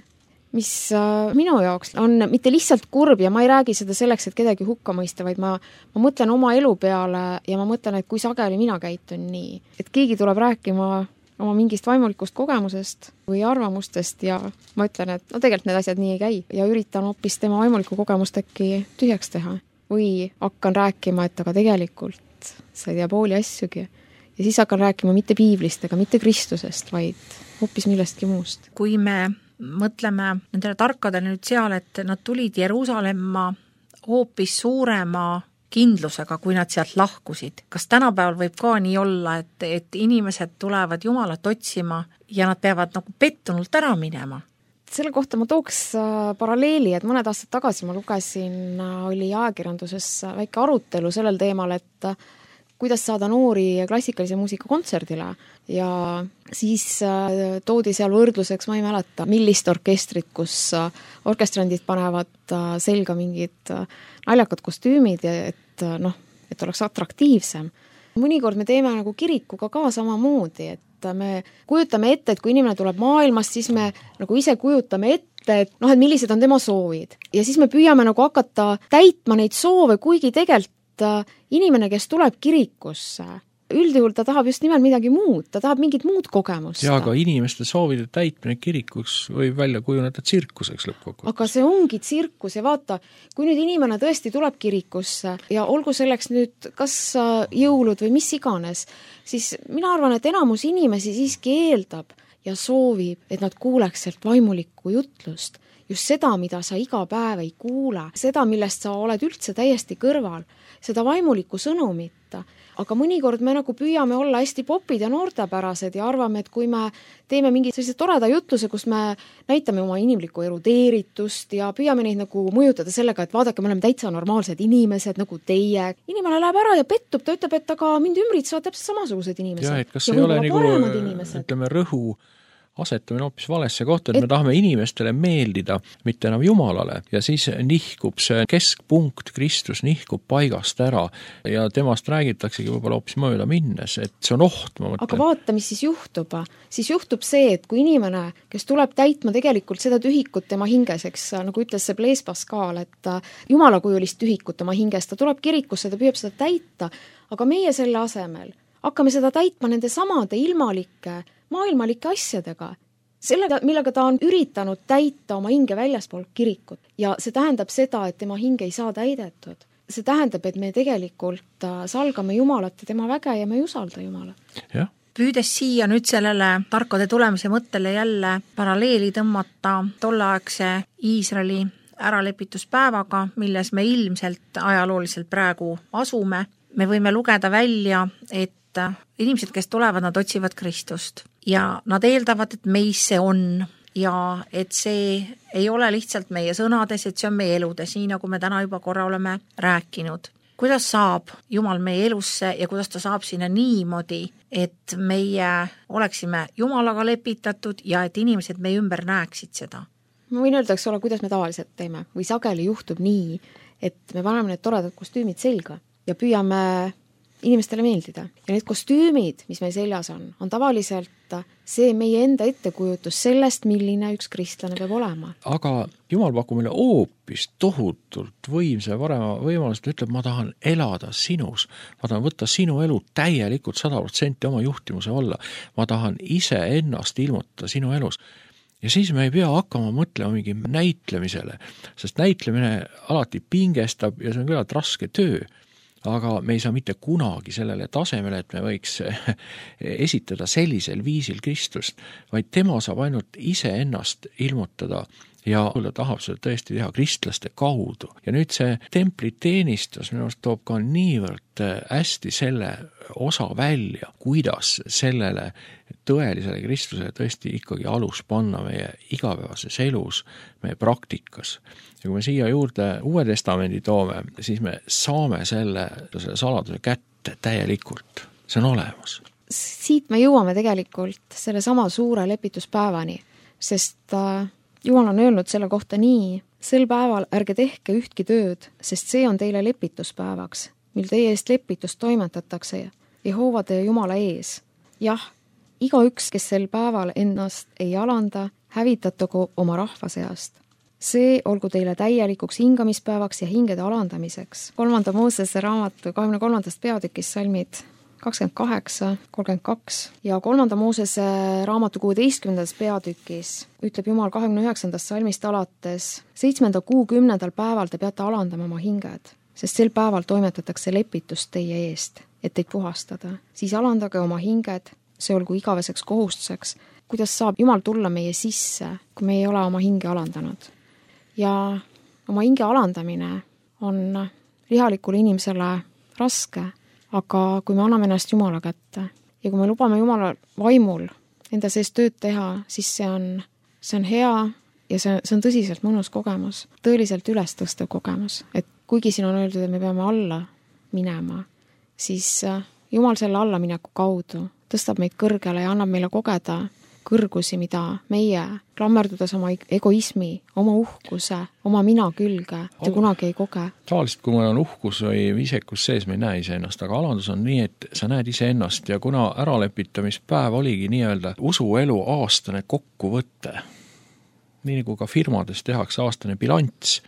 Mis minu jaoks on mitte lihtsalt kurb ja ma ei räägi seda selleks, et kedagi hukka mõista, vaid ma mõtlen oma elu peale ja ma mõtlen, et kui sageli mina käitun nii. Et keegi tuleb rääkima oma mingist vaimulikust kogemusest või arvamustest ja ma ütlen, et tegelikult need asjad nii ei käi ja üritan hoopis tema vaimulikku kogemust äkki tühjaks teha. Või hakkan rääkima, et aga tegelikult sa ei tea pooli asjugi. Ja siis hakkan rääkima mitte piiblist ega mitte Kristusest, vaid hoopis millestki muust. Kui me mõtleme nendele tarkadele nüüd seal, et nad tulid Jeruusalemma hoopis suurema kindlusega, kui nad sealt lahkusid. Kas tänapäeval võib ka nii olla, et inimesed tulevad Jumalat otsima ja nad peavad nagu pettunult ära minema? Selle kohta ma tooks paralleeli, et mõned aastad tagasi ma lugesin, oli ajakirjanduses väike arutelu sellel teemal, et kuidas saada noori klassikalise muusika kontserdile ja siis toodi seal võrdluseks, ma ei mäleta, millist orkestrit, kus orkestrandid panevad selga mingid naljakad kostüümid, et oleks atraktiivsem. Mõnikord me teeme nagu kirikuga ka samamoodi, et me kujutame ette, et kui inimene tuleb maailmast, siis me nagu ise kujutame ette, et millised on tema soovid. Ja siis me püüame nagu hakata täitma neid soove, kuigi tegelikult inimene, kes tuleb kirikusse, üldjuhul ta tahab just nimelt midagi muud, ta tahab mingit muud kogemust. Ja aga inimeste soovide täitmine kirikuks võib välja kujuneda tsirkuseks lõppkokkuvõttes. Aga see ongi tsirkus ja vaata, kui nüüd inimene tõesti tuleb kirikusse ja olgu selleks nüüd kas jõulud või mis iganes, siis mina arvan, et enamus inimesi siiski eeldab ja soovib, et nad kuuleks sealt vaimulikku jutlust. Just seda, mida sa iga päev ei kuule, seda, millest sa oled üldse täiesti kõrval, seda vaimulikku sõnumit. Aga mõnikord me nagu püüame olla hästi popid ja noortepärased ja arvame, et kui me teeme mingi sellise toreda jutluse, kus me näitame oma inimlikku erudeeritust ja püüame neid nagu mõjutada sellega, et vaadake, me oleme täitsa normaalsed inimesed nagu teie. Inimene läheb ära ja pettub, ta ütleb, et aga mind ümbritsevad täpselt samasugused inimesed. Ja, et kas ei ole nagu, ütleme, rõhu asetamine hoopis valesse kohta, et me tahame inimestele meeldida, mitte enam Jumalale, ja siis nihkub see keskpunkt, Kristus nihkub paigast ära ja temast räägitaksegi võib-olla hoopis mööda minnes, et see on oht, ma mõtlen. Aga vaata, mis siis juhtub. Siis juhtub see, et kui inimene, kes tuleb täitma tegelikult seda tühikut tema hinges, eks, nagu ütles see Blaise Pascal, et jumalakujulist tühikut oma hinges, ta tuleb kirikusse, ta püüab seda täita, aga meie selle asemel hakkame seda täitma nende samade ilmalike maailmalike asjadega, sellega, millega ta on üritanud täita oma hinge väljaspool kirikut. Ja see tähendab seda, et tema hing ei saa täidetud. See tähendab, et me tegelikult salgame Jumalat ja tema väge ja me ei usalda Jumalat. Jah. Püüdes siia nüüd sellele tarkade tulemise mõttele jälle paralleeli tõmmata tolleaegse Iisraeli äralepituspäevaga, milles me ilmselt ajalooliselt praegu asume, me võime lugeda välja, et et inimesed, kes tulevad, nad otsivad Kristust ja nad eeldavad, et meis see on ja et see ei ole lihtsalt meie sõnades, et see on meie eludes, nii nagu me täna juba korra oleme rääkinud. Kuidas saab Jumal meie elusse ja kuidas ta saab sinna niimoodi, et meie oleksime Jumalaga lepitatud ja et inimesed meie ümber näeksid seda? Ma võin öelda, eks ole, kuidas me tavaliselt teeme või sageli juhtub nii, et me paneme need toredad kostüümid selga ja püüame inimestele meeldida. Ja need kostüümid, mis meil seljas on tavaliselt see meie enda ettekujutus sellest, milline üks kristlane peab olema. Aga Jumal pakub meile hoopis tohutult võimsa parema võimalust, ütleb, ma tahan elada sinus, ma tahan võtta sinu elu täielikult 100% oma juhtimuse alla, ma tahan ise ennast ilmutada sinu elus. Ja siis me ei pea hakkama mõtlema mingi näitlemisele, sest näitlemine alati pingestab ja see on küllalt raske töö. Aga me ei saa mitte kunagi sellele tasemele, et me võiks esitada sellisel viisil Kristust, vaid tema saab ainult ise ennast ilmutada ja ta tahab seda tõesti teha kristlaste kaudu. Ja nüüd see templiteenistus minu arust toob ka niivõrd hästi selle osa välja, kuidas sellele tõelisele Kristlusele tõesti ikkagi alus panna meie igapäevases elus, meie praktikas. Ja kui me siia juurde Uue Testamendi toome, siis me saame selle saladuse kätte täielikult. See on olemas. Siit me jõuame tegelikult selle sama suure lepituspäevani, sest Jumal on öelnud selle kohta nii, sel päeval ärge tehke ühtki tööd, sest see on teile lepituspäevaks, mil teie eest lepitust toimetatakse Jehoovade ja Jumala ees. Jah, igaüks, kes sel päeval ennast ei alanda, hävitatagu oma rahva seast. See olgu teile täielikuks hingamispäevaks ja hingede alandamiseks. 3. Moosese raamatu 23. peatükis salmid 28, 32 ja 3. Moosese raamatu 16. peatükis ütleb Jumal 29. salmist alates 7. kuu 10. päeval te peate alandama oma hinged, sest sel päeval toimetatakse lepitust teie eest, et teid puhastada. Siis alandage oma hinged, see olgu igaveseks kohustuseks. Kuidas saab Jumal tulla meie sisse, kui me ei ole oma hinge alandanud? Ja oma hinge alandamine on lihalikule inimesele raske, aga kui me anname ennast Jumala kätte ja kui me lubame Jumala vaimul enda sees tööd teha, siis see on hea ja see on tõsiselt mõnus kogemus, tõeliselt üles tõstev kogemus. Et kuigi siin on öeldud, et me peame alla minema, siis Jumal selle allamineku kaudu tõstab meid kõrgele ja annab meile kogeda kõrgusi, mida meie klammerdudes oma egoismi, oma uhkuse, oma mina külge te kunagi ei koge. Tavaliselt, kui meil on uhkus või viisekus sees, me ei näe iseennast, aga alandus on nii, et sa näed iseennast ja kuna äralepitamispäev oligi nii-öelda usuelu aastane kokkuvõte, nii nagu ka firmades tehakse aastane bilanss,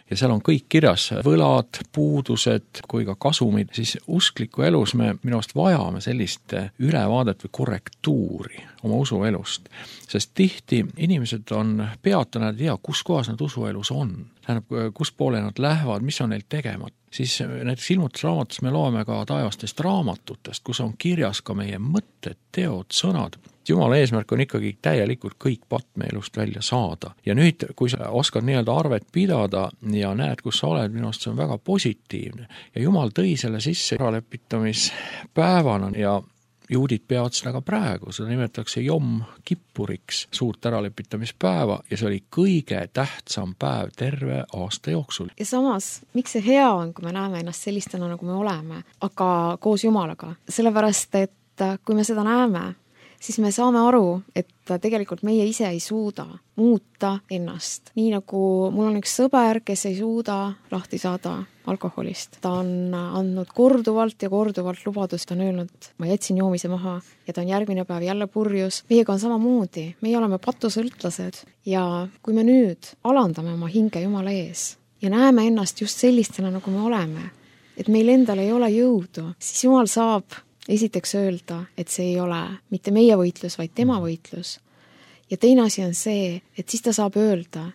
ja seal on kõik kirjas, võlad, puudused kui ka kasumid, siis uskliku elus me minu arust vajame sellist ülevaadet või korrektuuri oma usuelust. Sest tihti inimesed on peatanud, ei tea, kus kohas nad usuelus on. Tähendab, kus poole nad lähevad, mis on neil tegemat. Siis näiteks ilmutusraamatus me loeme ka taevastest raamatutest, kus on kirjas ka meie mõtted, teod, sõnad. Jumala eesmärk on ikkagi täielikult kõik patmeelust välja saada. Ja nüüd, kui sa oskad nii-öelda arvet pidada ja näed, kus sa oled, minu arust see on väga positiivne. Ja Jumal tõi selle sisse äralepitamispäevana ja juudid peavad seda ka praegu, seda nimetatakse Jom Kippuriks, suurt äralepitamispäeva ja see oli kõige tähtsam päev terve aasta jooksul. Ja samas, miks see hea on, kui me näeme ennast sellistena, nagu me oleme, aga koos Jumalaga? Sellepärast, et kui me seda näeme, siis me saame aru, et tegelikult meie ise ei suuda muuta ennast. Nii nagu mul on üks sõber, kes ei suuda lahti saada alkoholist. Ta on andnud korduvalt ja korduvalt lubadust, ta on öelnud, ma jätsin joomise maha ja ta on järgmine päev jälle purjus. Meiega on samamoodi, meie oleme patusõltlased ja kui me nüüd alandame oma hinge Jumala ees ja näeme ennast just sellistena, nagu me oleme, et meil endal ei ole jõudu, siis Jumal saab esiteks öelda, et see ei ole mitte meie võitlus, vaid tema võitlus. Ja teine asi on see, et siis ta saab öelda,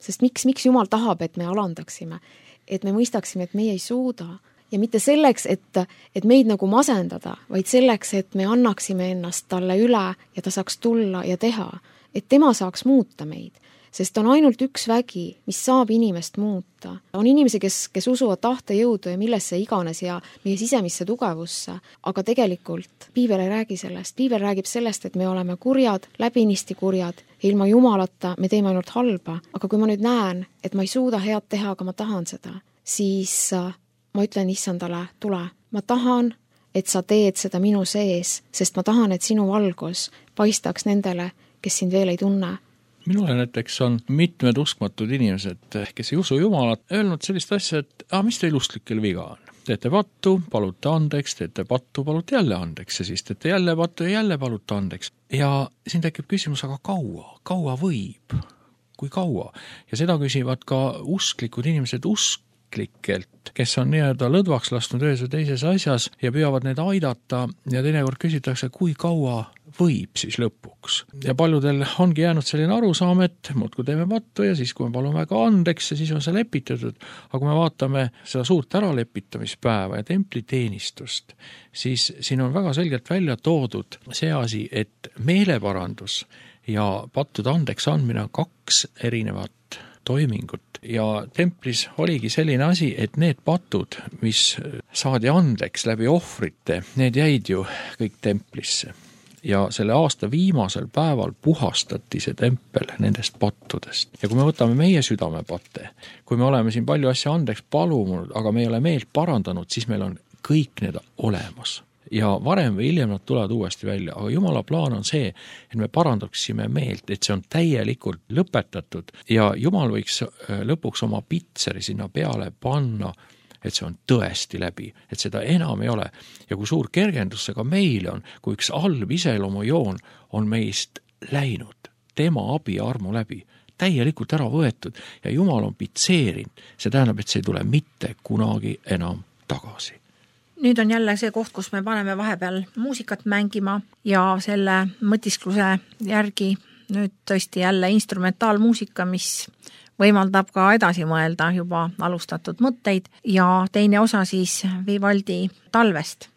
sest miks Jumal tahab, et me alandaksime, et me mõistaksime, et meie ei suuda ja mitte selleks, et meid nagu masendada, vaid selleks, et me annaksime ennast talle üle ja ta saaks tulla ja teha, et tema saaks muuta meid. sest on ainult üks vägi, mis saab inimest muuta. On inimesi, kes usuvad tahtejõudu ja millesse iganes ja meie sisemisse tugevusse, aga tegelikult piibel ei räägi sellest. Piibel räägib sellest, et me oleme kurjad, läbinisti kurjad ja ilma Jumalata me teeme ainult halba. Aga kui ma nüüd näen, et ma ei suuda head teha, aga ma tahan seda, siis ma ütlen issandale, tule, ma tahan, et sa teed seda minu sees, sest ma tahan, et sinu valgus paistaks nendele, kes sind veel ei tunne. Minule näiteks on mitmed uskmatud inimesed, kes ei usu Jumalat, öelnud sellist asja, et mis teil usklikel viga on? Teete pattu, palute andeks, teete pattu, palute jälle andeks ja siis teete jälle pattu ja jälle palute andeks. Ja siin tekib küsimus, aga kaua võib? Kui kaua? Ja seda küsivad ka usklikud inimesed usklikelt, kes on nii-öelda lõdvaks lasknud ühes või teises asjas ja püüavad need aidata ja teinekord küsitakse, kui kaua võib siis lõpuks. Ja paljudel ongi jäänud selline arusaam, et muudkui teeme pattu ja siis, kui me palume väga andeks ja siis on see lepitatud. Aga kui me vaatame seda suurt äralepitamispäeva ja templiteenistust, siis siin on väga selgelt välja toodud see asi, et meeleparandus ja pattude andeks andmine on 2 erinevat toimingut. Ja templis oligi selline asi, et need patud, mis saadi andeks läbi ohvrite, need jäid ju kõik templisse. Ja selle aasta viimasel päeval puhastati see tempel nendest pattudest. Ja kui me võtame meie südamepatte, kui me oleme siin palju asja andeks palunud, aga me ei ole meelt parandanud, siis meil on kõik need olemas. Ja varem või hiljem nad tulevad uuesti välja, aga Jumala plaan on see, et me parandaksime meelt, et see on täielikult lõpetatud ja Jumal võiks lõpuks oma pitseri sinna peale panna, et see on tõesti läbi, et seda enam ei ole. Ja kui suur kergendus see ka meile on, kui üks halb iseloomujoon on meist läinud, tema abi ja armu läbi, täielikult ära võetud ja Jumal on pitseerinud, see tähendab, et see ei tule mitte kunagi enam tagasi. Nüüd on jälle see koht, kus me paneme vahepeal muusikat mängima ja selle mõtiskluse järgi nüüd tõesti jälle instrumentaalmuusika, mis võimaldab ka edasi mõelda juba alustatud mõtteid ja teine osa siis Vivaldi Talvest.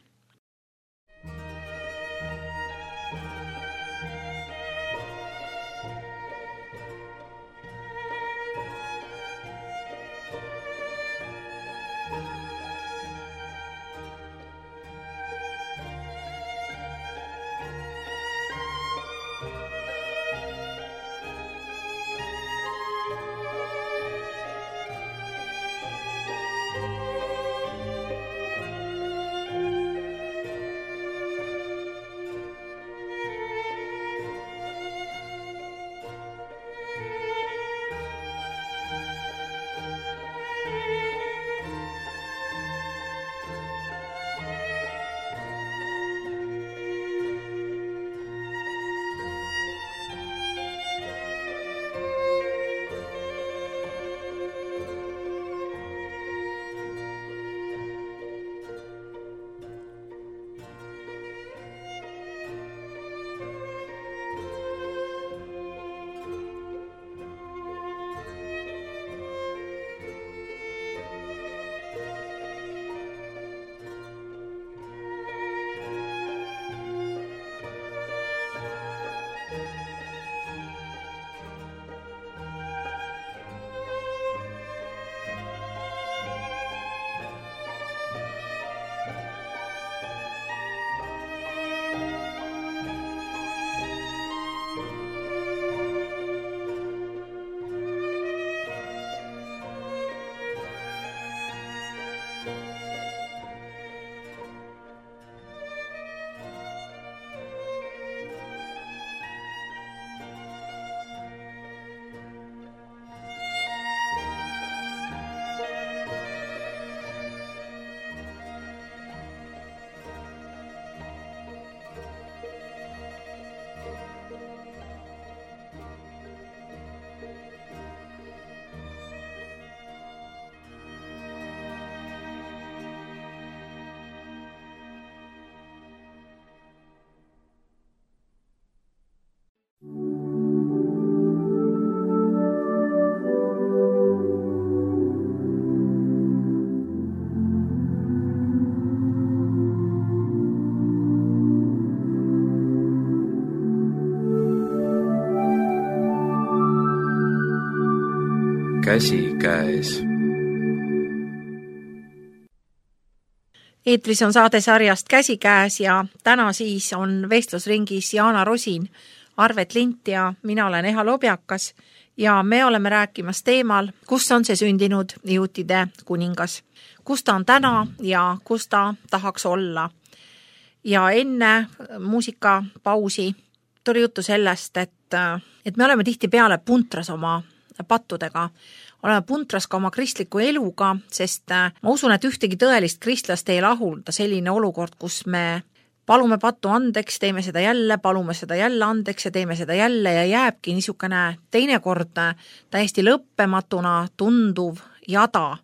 käsikäes. Eetris on saade sarjast Käsikäes ja täna siis on vestlusringis Jaana Rosin, Arvet Lint ja mina olen Eha Lobjakas ja me oleme rääkimas teemal, kus on see sündinud juutide kuningas, kus ta on täna ja kus ta tahaks olla. Ja enne muusikapausi tuli juttu sellest, et me oleme tihtipeale puntras oma pattudega, oleme puntras ka oma kristliku eluga, sest ma usun, et ühtegi tõelist kristlast ei lahulda selline olukord, kus me palume pattu andeks, teeme seda jälle, palume seda jälle andeks ja teeme seda jälle ja jääbki niisugune teinekord täiesti lõppematuna tunduv jada.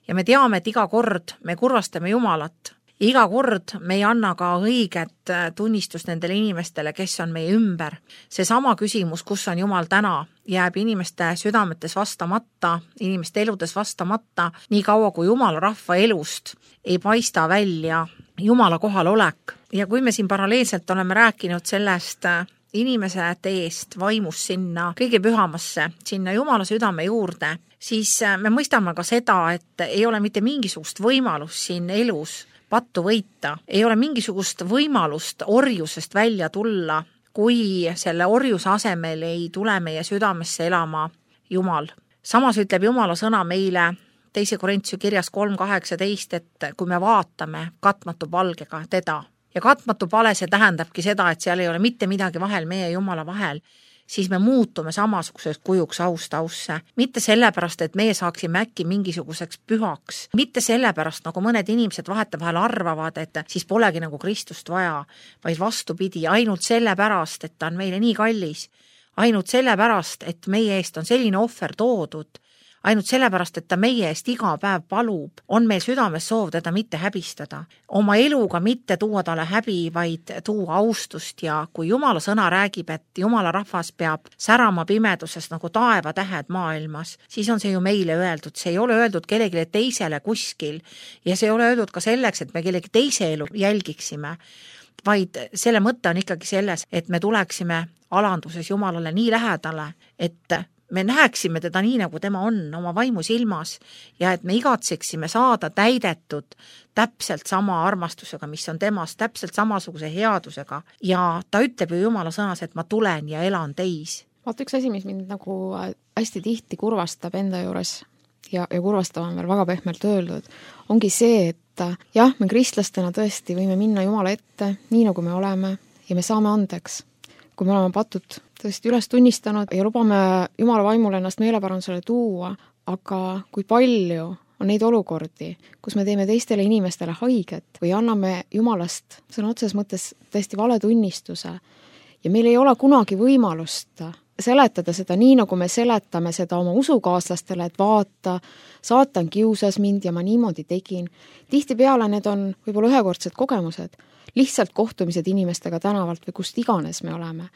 Ja me teame, et iga kord me kurvastame Jumalat. Iga kord me ei anna ka õiget tunnistust nendele inimestele, kes on meie ümber. Seesama küsimus, kus on Jumal täna, jääb inimeste südametes vastamata, inimeste eludes vastamata, nii kaua kui Jumala rahva elust ei paista välja Jumala kohalolek. Ja kui me siin paralleelselt oleme rääkinud sellest inimese teest vaimus sinna kõige pühamasse, sinna Jumala südame juurde, siis me mõistame ka seda, et ei ole mitte mingisugust võimalust siin elus pattu võita. Ei ole mingisugust võimalust orjusest välja tulla, kui selle orjuse asemel ei tule meie südamesse elama Jumal. Samas ütleb Jumala sõna meile 2. Korintuse kirjas 3.18, et kui me vaatame katmatu palgega teda ja katmatu pale, see tähendabki seda, et seal ei ole mitte midagi vahel meie ja Jumala vahel, siis me muutume samasuguseks kujuks aust ausse. Mitte sellepärast, et meie saaksime äkki mingisuguseks pühaks. Mitte sellepärast, nagu mõned inimesed vahetevahel arvavad, et siis polegi nagu Kristust vaja, vaid vastupidi, ainult sellepärast, et ta on meile nii kallis. Ainult sellepärast, et meie eest on selline ohver toodud. Ainult sellepärast, et ta meie eest iga päev palub, on meil südames soov teda mitte häbistada. Oma eluga mitte tuua talle häbi, vaid tuua austust ja kui Jumala sõna räägib, et Jumala rahvas peab särama pimeduses nagu taevatähed maailmas, siis on see ju meile öeldud. See ei ole öeldud kellelegi teisele kuskil ja see ei ole öeldud ka selleks, et me kellegi teise elu jälgiksime, vaid selle mõte on ikkagi selles, et me tuleksime alanduses Jumalale nii lähedale, et me näeksime teda nii, nagu tema on oma vaimus ilmas ja et me igatseksime saada täidetud täpselt sama armastusega, mis on temas, täpselt samasuguse headusega ja ta ütleb ju Jumala sõnas, et ma tulen ja elan teis. Vaata üks asi, mis mind nagu hästi tihti kurvastab enda juures ja kurvastab on veel väga pehmelt öeldud, ongi see, et jah, me kristlastena tõesti võime minna Jumala ette nii, nagu me oleme ja me saame andeks, kui me oleme patud tõesti üles tunnistanud ja lubame Jumala vaimule ennast meeleparandusele tuua, aga kui palju on neid olukordi, kus me teeme teistele inimestele haiget või anname Jumalast sõna otseses mõttes tõesti vale tunnistuse ja meil ei ole kunagi võimalust seletada seda nii, nagu me seletame seda oma usukaaslastele, et vaata, saatan kiusas mind ja ma niimoodi tegin. Tihtipeale need on võib-olla ühekordsed kogemused, lihtsalt kohtumised inimestega tänavalt või kust iganes me oleme.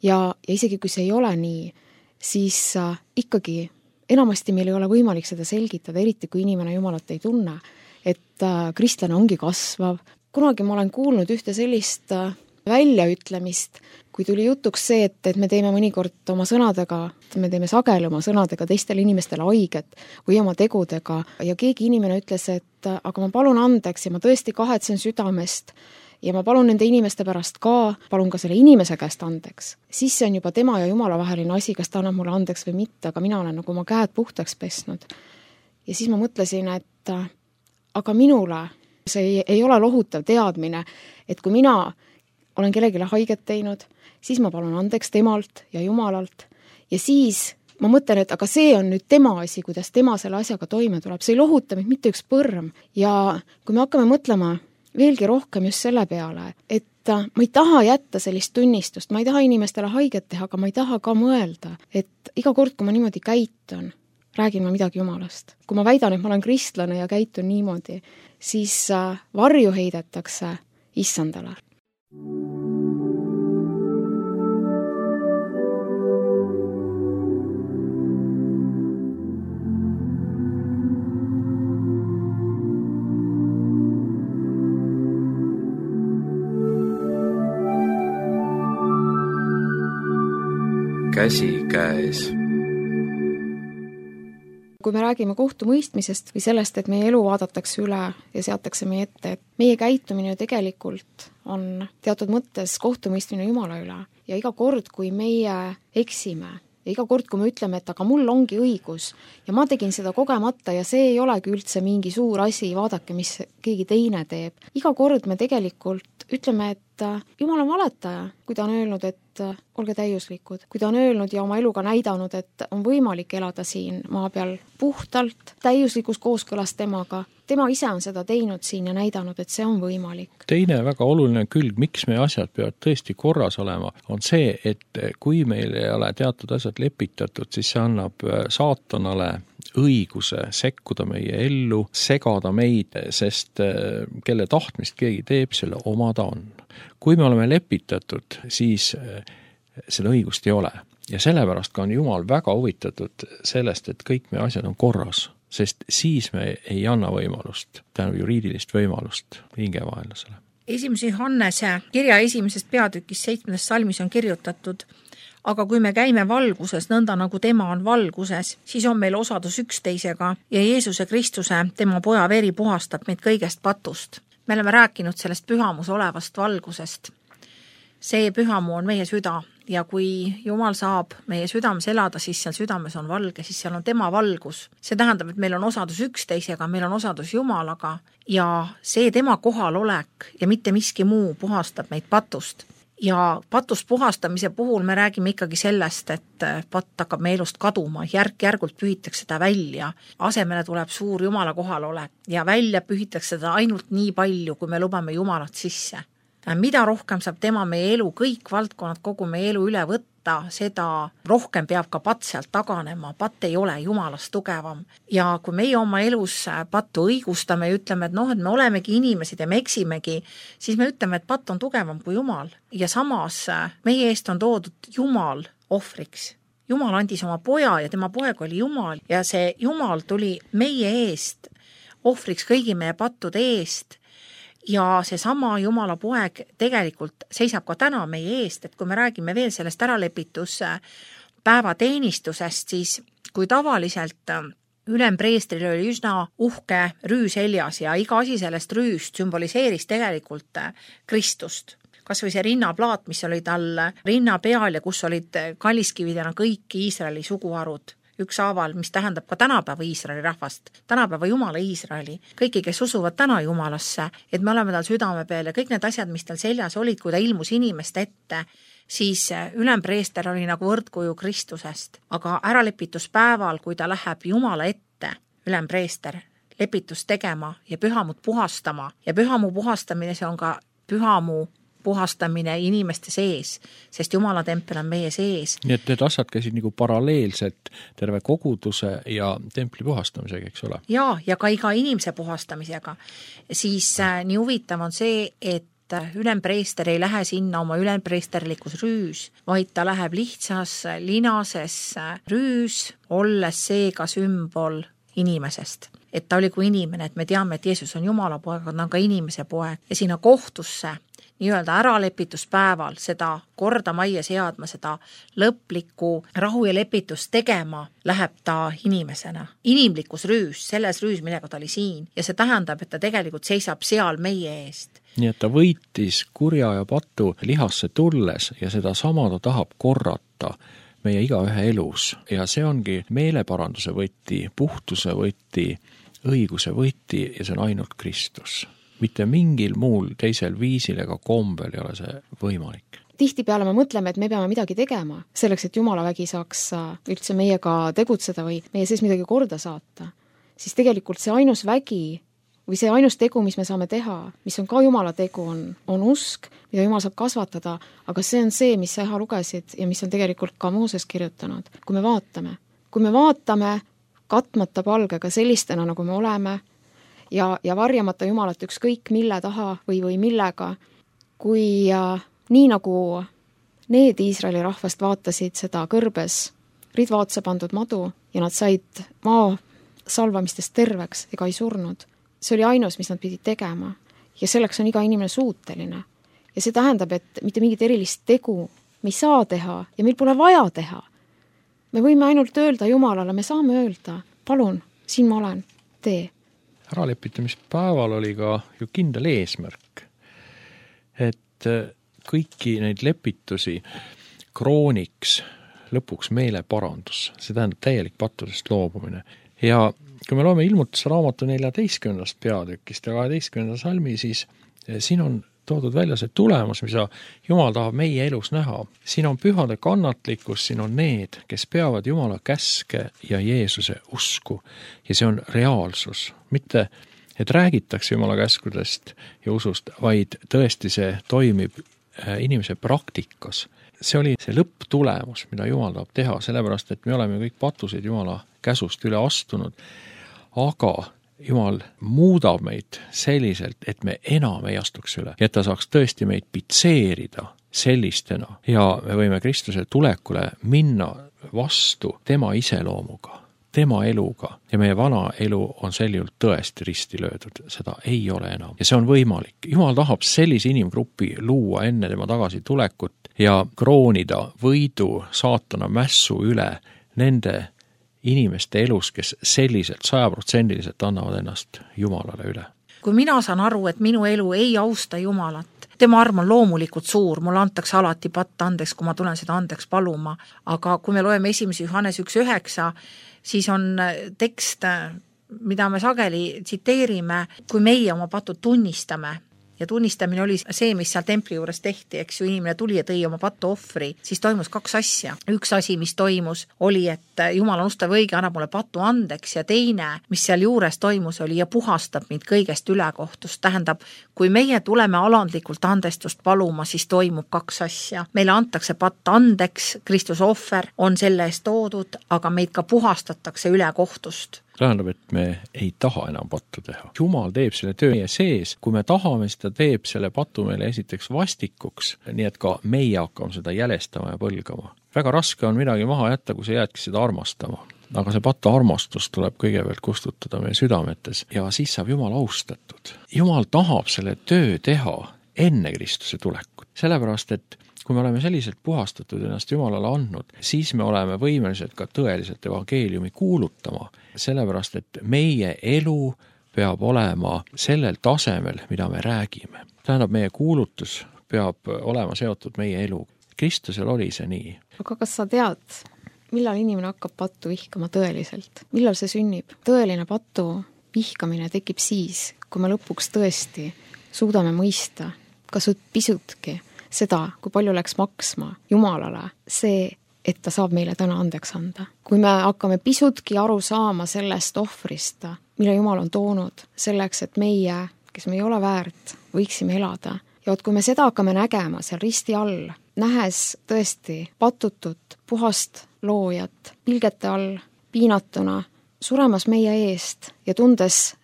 Ja isegi kui see ei ole nii, siis ikkagi enamasti meil ei ole võimalik seda selgitada, eriti kui inimene Jumalat ei tunne, et kristlane ongi kasvav. Kunagi ma olen kuulnud ühte sellist väljaütlemist, kui tuli jutuks see, et me teeme mõnikord oma sõnadega, me teeme sageli oma sõnadega teistele inimestele haiget või oma tegudega ja keegi inimene ütles, et aga ma palun andeks ja ma tõesti kahetsen südamest ja ma palun nende inimeste pärast ka, palun ka selle inimese käest andeks. Siis see on juba tema ja Jumala vaheline asi, kas ta annab mulle andeks või mitte, aga mina olen nagu oma käed puhtaks pesnud. Ja siis ma mõtlesin, et aga minule see ei ole lohutav teadmine, et kui mina olen kellegile haiget teinud, siis ma palun andeks temalt ja Jumalalt ja siis ma mõtlen, et aga see on nüüd tema asi, kuidas tema selle asjaga toime tuleb. See ei lohuta mind mitte üks põrm ja kui me hakkame mõtlema veelgi rohkem just selle peale, et ma ei taha jätta sellist tunnistust, ma ei taha inimestele haiget teha, aga ma ei taha ka mõelda, et iga kord, kui ma niimoodi käitun, räägin ma midagi Jumalast. Kui ma väidan, et ma olen kristlane ja käitun niimoodi, siis varju heidetakse Issandale. Käsikäes. kui me räägime kohtumõistmisest või sellest, et meie elu vaadatakse üle ja seatakse meie ette, et meie käitumine ju tegelikult on teatud mõttes kohtumõistmine Jumala üle ja iga kord, kui meie eksime ja iga kord, kui me ütleme, et aga mul ongi õigus ja ma tegin seda kogemata ja see ei olegi üldse mingi suur asi, vaadake, mis keegi teine teeb. Iga kord me tegelikult ütleme, et Jumal on valetaja, kui ta on öelnud, et olge täiuslikud, kui ta on öelnud ja oma eluga näidanud, et on võimalik elada siin maa peal puhtalt, täiuslikus kooskõlas temaga. Tema ise on seda teinud siin ja näidanud, et see on võimalik. Teine väga oluline külg, miks meie asjad peavad tõesti korras olema, on see, et kui meil ei ole teatud asjad lepitatud, siis see annab saatanale õiguse sekkuda meie ellu, segada meid, sest kelle tahtmist keegi teeb, selle oma ta on. Kui me oleme lepitatud, siis seda õigust ei ole. Ja sellepärast ka on Jumal väga huvitatud sellest, et kõik meie asjad on korras, sest siis me ei anna võimalust, tähendab juriidilist võimalust hingevaenlasele. 1. Johannese kirja 1. peatükis 7. salmis on kirjutatud: aga kui me käime valguses, nõnda nagu tema on valguses, siis on meil osadus üksteisega ja Jeesuse Kristuse, tema poja veri puhastab meid kõigest patust. Me oleme rääkinud sellest pühamus olevast valgusest. See pühamu on meie süda ja kui Jumal saab meie südames elada, siis seal südames on valge, siis seal on tema valgus. See tähendab, et meil on osadus üksteisega, meil on osadus Jumalaga ja see tema kohalolek ja mitte miski muu puhastab meid patust. Ja patust puhastamise puhul me räägime ikkagi sellest, et patt hakkab meie elust kaduma, järk-järgult pühitakse seda välja. Asemele tuleb suur Jumala kohalolek ja välja pühitakse seda ainult nii palju, kui me lubame Jumalat sisse. Mida rohkem saab tema meie elu, kõik valdkonnad kogu meie elu üle võtta, seda rohkem peab ka patt sealt taganema. Patt ei ole Jumalast tugevam. Ja kui meie oma elus pattu õigustame ja ütleme, et et me olemegi inimesed ja me eksimegi, siis me ütleme, et patt on tugevam kui Jumal. Ja samas meie eest on toodud Jumal ohvriks. Jumal andis oma poja ja tema poeg oli Jumal ja see Jumal tuli meie eest ohvriks kõigi meie pattude eest. Ja see sama Jumala poeg tegelikult seisab ka täna meie eest, et kui me räägime veel sellest äralepituspäeva teenistusest, siis kui tavaliselt ülempreestril oli üsna uhke rüüs seljas ja iga asi sellest rüüst sümboliseeris tegelikult Kristust. Kas või see rinnaplaat, mis oli tal rinna peal ja kus olid kalliskividena kõik Iisraeli suguharud. Ükshaaval, mis tähendab ka tänapäeva Iisraeli rahvast, tänapäeva Jumala Iisraeli, kõiki, kes usuvad täna Jumalasse, et me oleme tal südame peal ja kõik need asjad, mis tal seljas olid, kui ta ilmus inimeste ette, siis ülempreester oli nagu võrdkuju Kristusest. Aga äralepituspäeval, kui ta läheb Jumala ette, ülempreester, lepitust tegema ja pühamut puhastama ja pühamu puhastamine, see on ka pühamu puhastamine inimeste sees, sest Jumala tempel on meie sees. Nii et need asjad käisid nagu paralleelselt terve koguduse ja templi puhastamisega, eks ole? Ja ka iga inimese puhastamisega. Siis nii huvitav on see, et ülempreester ei lähe sinna oma ülempreesterlikus rüüs, vaid ta läheb lihtsas linases rüüs, olles seega sümbol inimesest. Et ta oli kui inimene, et me teame, et Jeesus on Jumala poeg, aga ta on ka inimese poeg. Ja sinna kohtusse nii-öelda äralepituspäeval seda korda majja seadma, seda lõplikku rahu ja lepitust tegema, läheb ta inimesena. Inimlikus rüüs, selles rüüs, millega ta oli siin. Ja see tähendab, et ta tegelikult seisab seal meie eest. Nii et ta võitis kurja ja patu lihasse tulles ja seda sama ta tahab korrata meie igaühe elus. Ja see ongi meeleparanduse võti, puhtuse võti, õiguse võti ja see on ainult Kristus. Mitte mingil muul teisel viisil ega kombel ei ole see võimalik. Tihtipeale me mõtleme, et me peame midagi tegema selleks, et Jumala vägi saaks üldse meiega tegutseda või meie sees midagi korda saata. Siis tegelikult see ainus vägi või see ainus tegu, mis me saame teha, mis on ka Jumala tegu, on usk, mida Jumal saab kasvatada, aga see on see, mis sa lugesid ja mis on tegelikult ka Mooses kirjutanud. Kui me vaatame katmata palgega sellistena, nagu me oleme, ja varjamata Jumalat ükskõik mille taha või millega, kui nii nagu need Iisraeli rahvast vaatasid seda kõrbes ridva otsa pandud madu ja nad said maa salvamistest terveks ega ei surnud. See oli ainus, mis nad pidid tegema ja selleks on iga inimene suuteline. Ja see tähendab, et mitte mingit erilist tegu me ei saa teha ja meil pole vaja teha. Me võime ainult öelda Jumalale, me saame öelda, palun, siin ma olen, tee. Äralepitamispäeval oli ka ju kindel eesmärk, et kõiki neid lepitusi krooniks lõpuks meeleparandus, see tähendab täielik pattudest loobumine. Ja kui me loeme Ilmutusraamatu 14. peatükist ja 12. salmi, siis siin on toodud välja see tulemus, mida Jumal tahab meie elus näha. Siin on pühade kannatlikkus, siin on need, kes peavad Jumala käske ja Jeesuse usku. Ja see on reaalsus. Mitte, et räägitakse Jumala käskudest ja usust, vaid tõesti see toimib inimese praktikas. See oli see lõpptulemus, mida Jumal tahab teha, sellepärast, et me oleme kõik patusid Jumala käsust üle astunud, aga Jumal muudab meid selliselt, et me enam ei astuks üle, et ta saaks tõesti meid pitseerida sellistena ja me võime Kristuse tulekule minna vastu tema iseloomuga, tema eluga ja meie vana elu on sel juhul tõesti risti löödud, seda ei ole enam ja see on võimalik. Jumal tahab sellise inimgrupi luua enne tema tagasi tulekut ja kroonida võidu saatana mässu üle nende inimeste elus, kes selliselt 100% annavad ennast Jumalale üle. Kui mina saan aru, et minu elu ei austa Jumalat, tema arm on loomulikult suur, mulle antakse alati patt andeks, kui ma tulen seda andeks paluma, aga kui me loeme 1. Johannes 1.9, siis on tekst, mida me sageli tsiteerime, kui meie oma patud tunnistame. Ja tunnistamine oli see, mis seal templi juures tehti, eks ju, inimene tuli ja tõi oma pattu ohvri, siis toimus 2 asja. Üks asi, mis toimus, oli, et Jumal on ustav õige, annab mulle pattu andeks ja teine, mis seal juures toimus, oli ja puhastab mind kõigest ülekohtust. Tähendab, kui meie tuleme alandlikult andestust paluma, siis toimub 2 asja. Meile antakse patt andeks, Kristuse ohver on selle eest toodud, aga meid ka puhastatakse ülekohtust. Tähendab, et me ei taha enam pattu teha. Jumal teeb selle töö meie sees, kui me tahame, seda teeb selle patu meile esiteks vastikuks, nii et ka meie hakkame seda jälestama ja põlgama. Väga raske on midagi maha jätta, kui sa jäädki seda armastama. Aga see patu armastus tuleb kõigepealt kustutada meie südametes ja siis saab Jumal austatud. Jumal tahab selle töö teha enne Kristuse tulekut. Sellepärast, et kui me oleme selliselt puhastatud ennast Jumalale andnud, siis me oleme võimelised ka tõeliselt evangeeliumi kuulutama, sellepärast, et meie elu peab olema sellel tasemel, mida me räägime. Tähendab, meie kuulutus peab olema seotud meie elu. Kristusel oli see nii. Aga kas sa tead, millal inimene hakkab pattu vihkama tõeliselt? Millal see sünnib? Tõeline pattu vihkamine tekib siis, kui me lõpuks tõesti suudame mõista, kas pisutki seda, kui palju läks maksma Jumalale see, et ta saab meile täna andeks anda. Kui me hakkame pisutki aru saama sellest ohvrist, mille Jumal on toonud selleks, et meie, kes me ei ole väärt, võiksime elada. Ja kui me seda hakkame nägema seal risti all, nähes tõesti patutut, puhast loojat, pilgete all, piinatuna, suremas meie eest ja tundes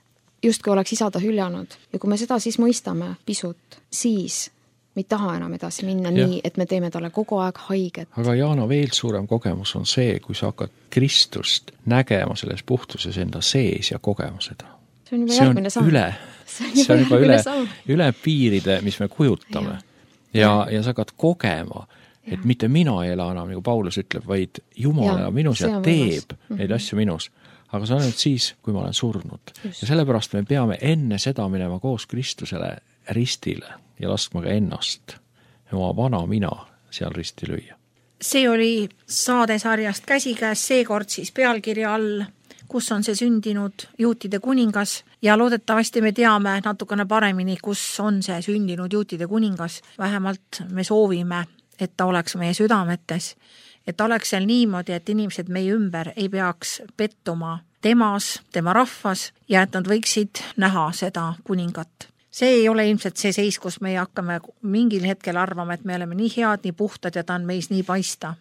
justkui oleks isa ta hüljanud. Ja kui me seda siis mõistame pisut, siis me ei taha enam edasi minna nii, et me teeme talle kogu aeg haiget. Aga Jaana, veel suurem kogemus on see, kui sa hakkad Kristust nägema selles puhtuses enda sees ja kogema seda. See on juba järgmine samm. See on juba üle piiride, mis me kujutame. Ja sa hakkad kogema, et mitte mina ei ela enam, nagu Paulus ütleb, vaid Jumal elab minus ja teeb neid asju minus. Aga see on nüüd siis, kui ma olen surnud. Ja sellepärast me peame enne seda minema koos Kristusele ristile ja laskma ka ennast ja oma vana mina seal risti lüüa. See oli saadesarjast Käsikäes, seekord siis pealkirja all, kus on see sündinud juutide kuningas ja loodetavasti me teame natukene paremini, kus on see sündinud juutide kuningas. Vähemalt me soovime, et ta oleks meie südametes, et ta oleks seal niimoodi, et inimesed meie ümber ei peaks pettuma temas, tema rahvas ja et nad võiksid näha seda kuningat. See ei ole ilmselt see seis, kus me hakkame mingil hetkel arvama, et me oleme nii head, nii puhtad ja ta on meis nii paista.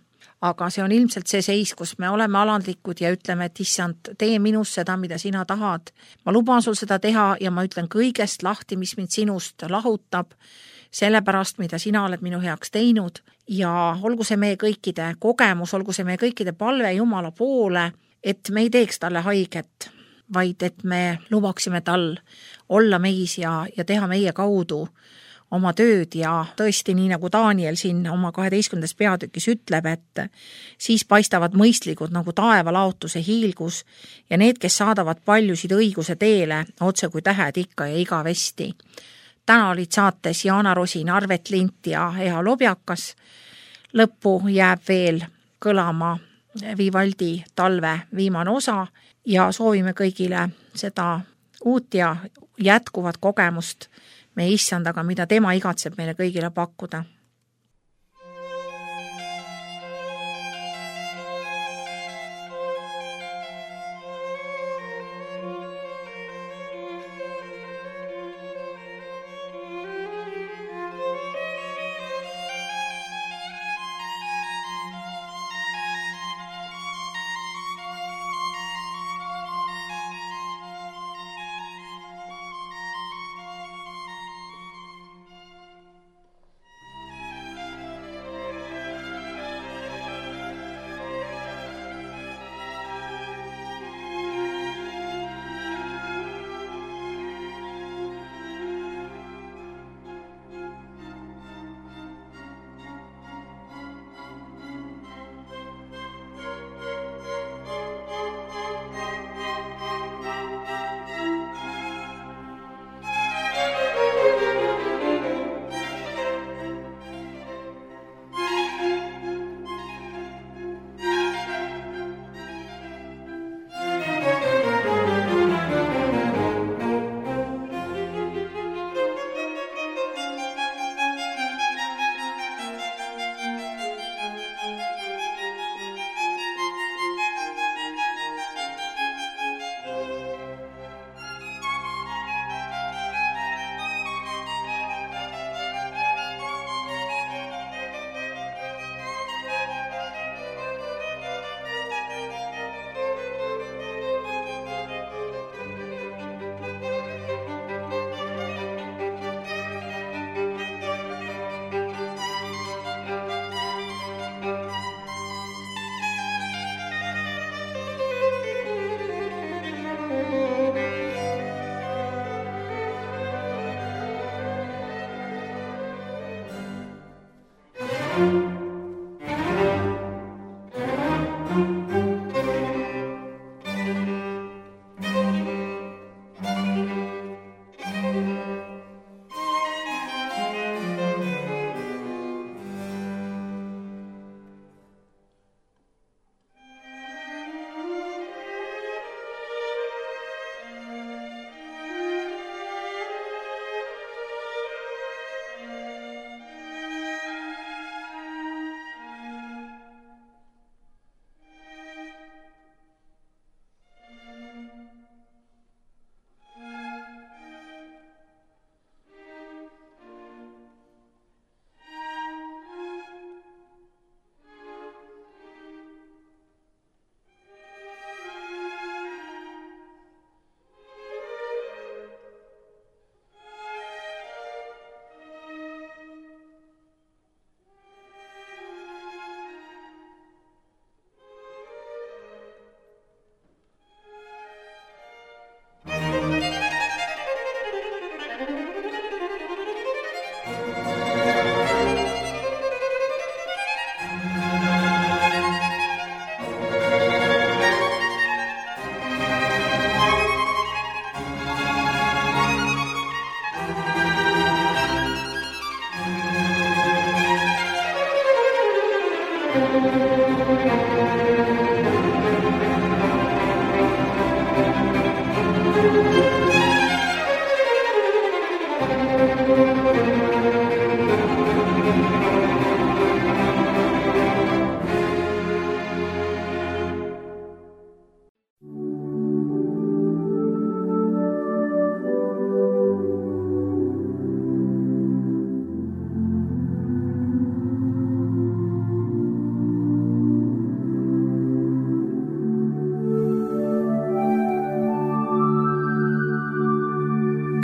Aga see on ilmselt see seis, kus me oleme alandlikud ja ütleme, et issand, tee minus seda, mida sina tahad. Ma luban sul seda teha ja ma ütlen kõigest lahti, mis mind sinust lahutab, sellepärast, mida sina oled minu heaks teinud. Ja olgu see meie kõikide kogemus, olgu see meie kõikide palve Jumala poole, et me ei teeks talle haiget, vaid et me lubaksime tal olla meis ja teha meie kaudu oma tööd ja tõesti, nii nagu Daniel siin oma 12. peatükis ütleb, et siis paistavad mõistlikud nagu taevalaotuse hiilgus ja need, kes saadavad paljusid õiguse teele, otse kui tähed ikka ja igavesti. Täna olid saates Jaana Rosin, Arvet Lint ja Eha Lobjakas. Lõppu jääb veel kõlama Vivaldi Talve viimane osa ja soovime kõigile seda uut ja jätkuvat kogemust meie issandaga, mida tema igatseb meile kõigile pakkuda.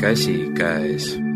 Käsikäes.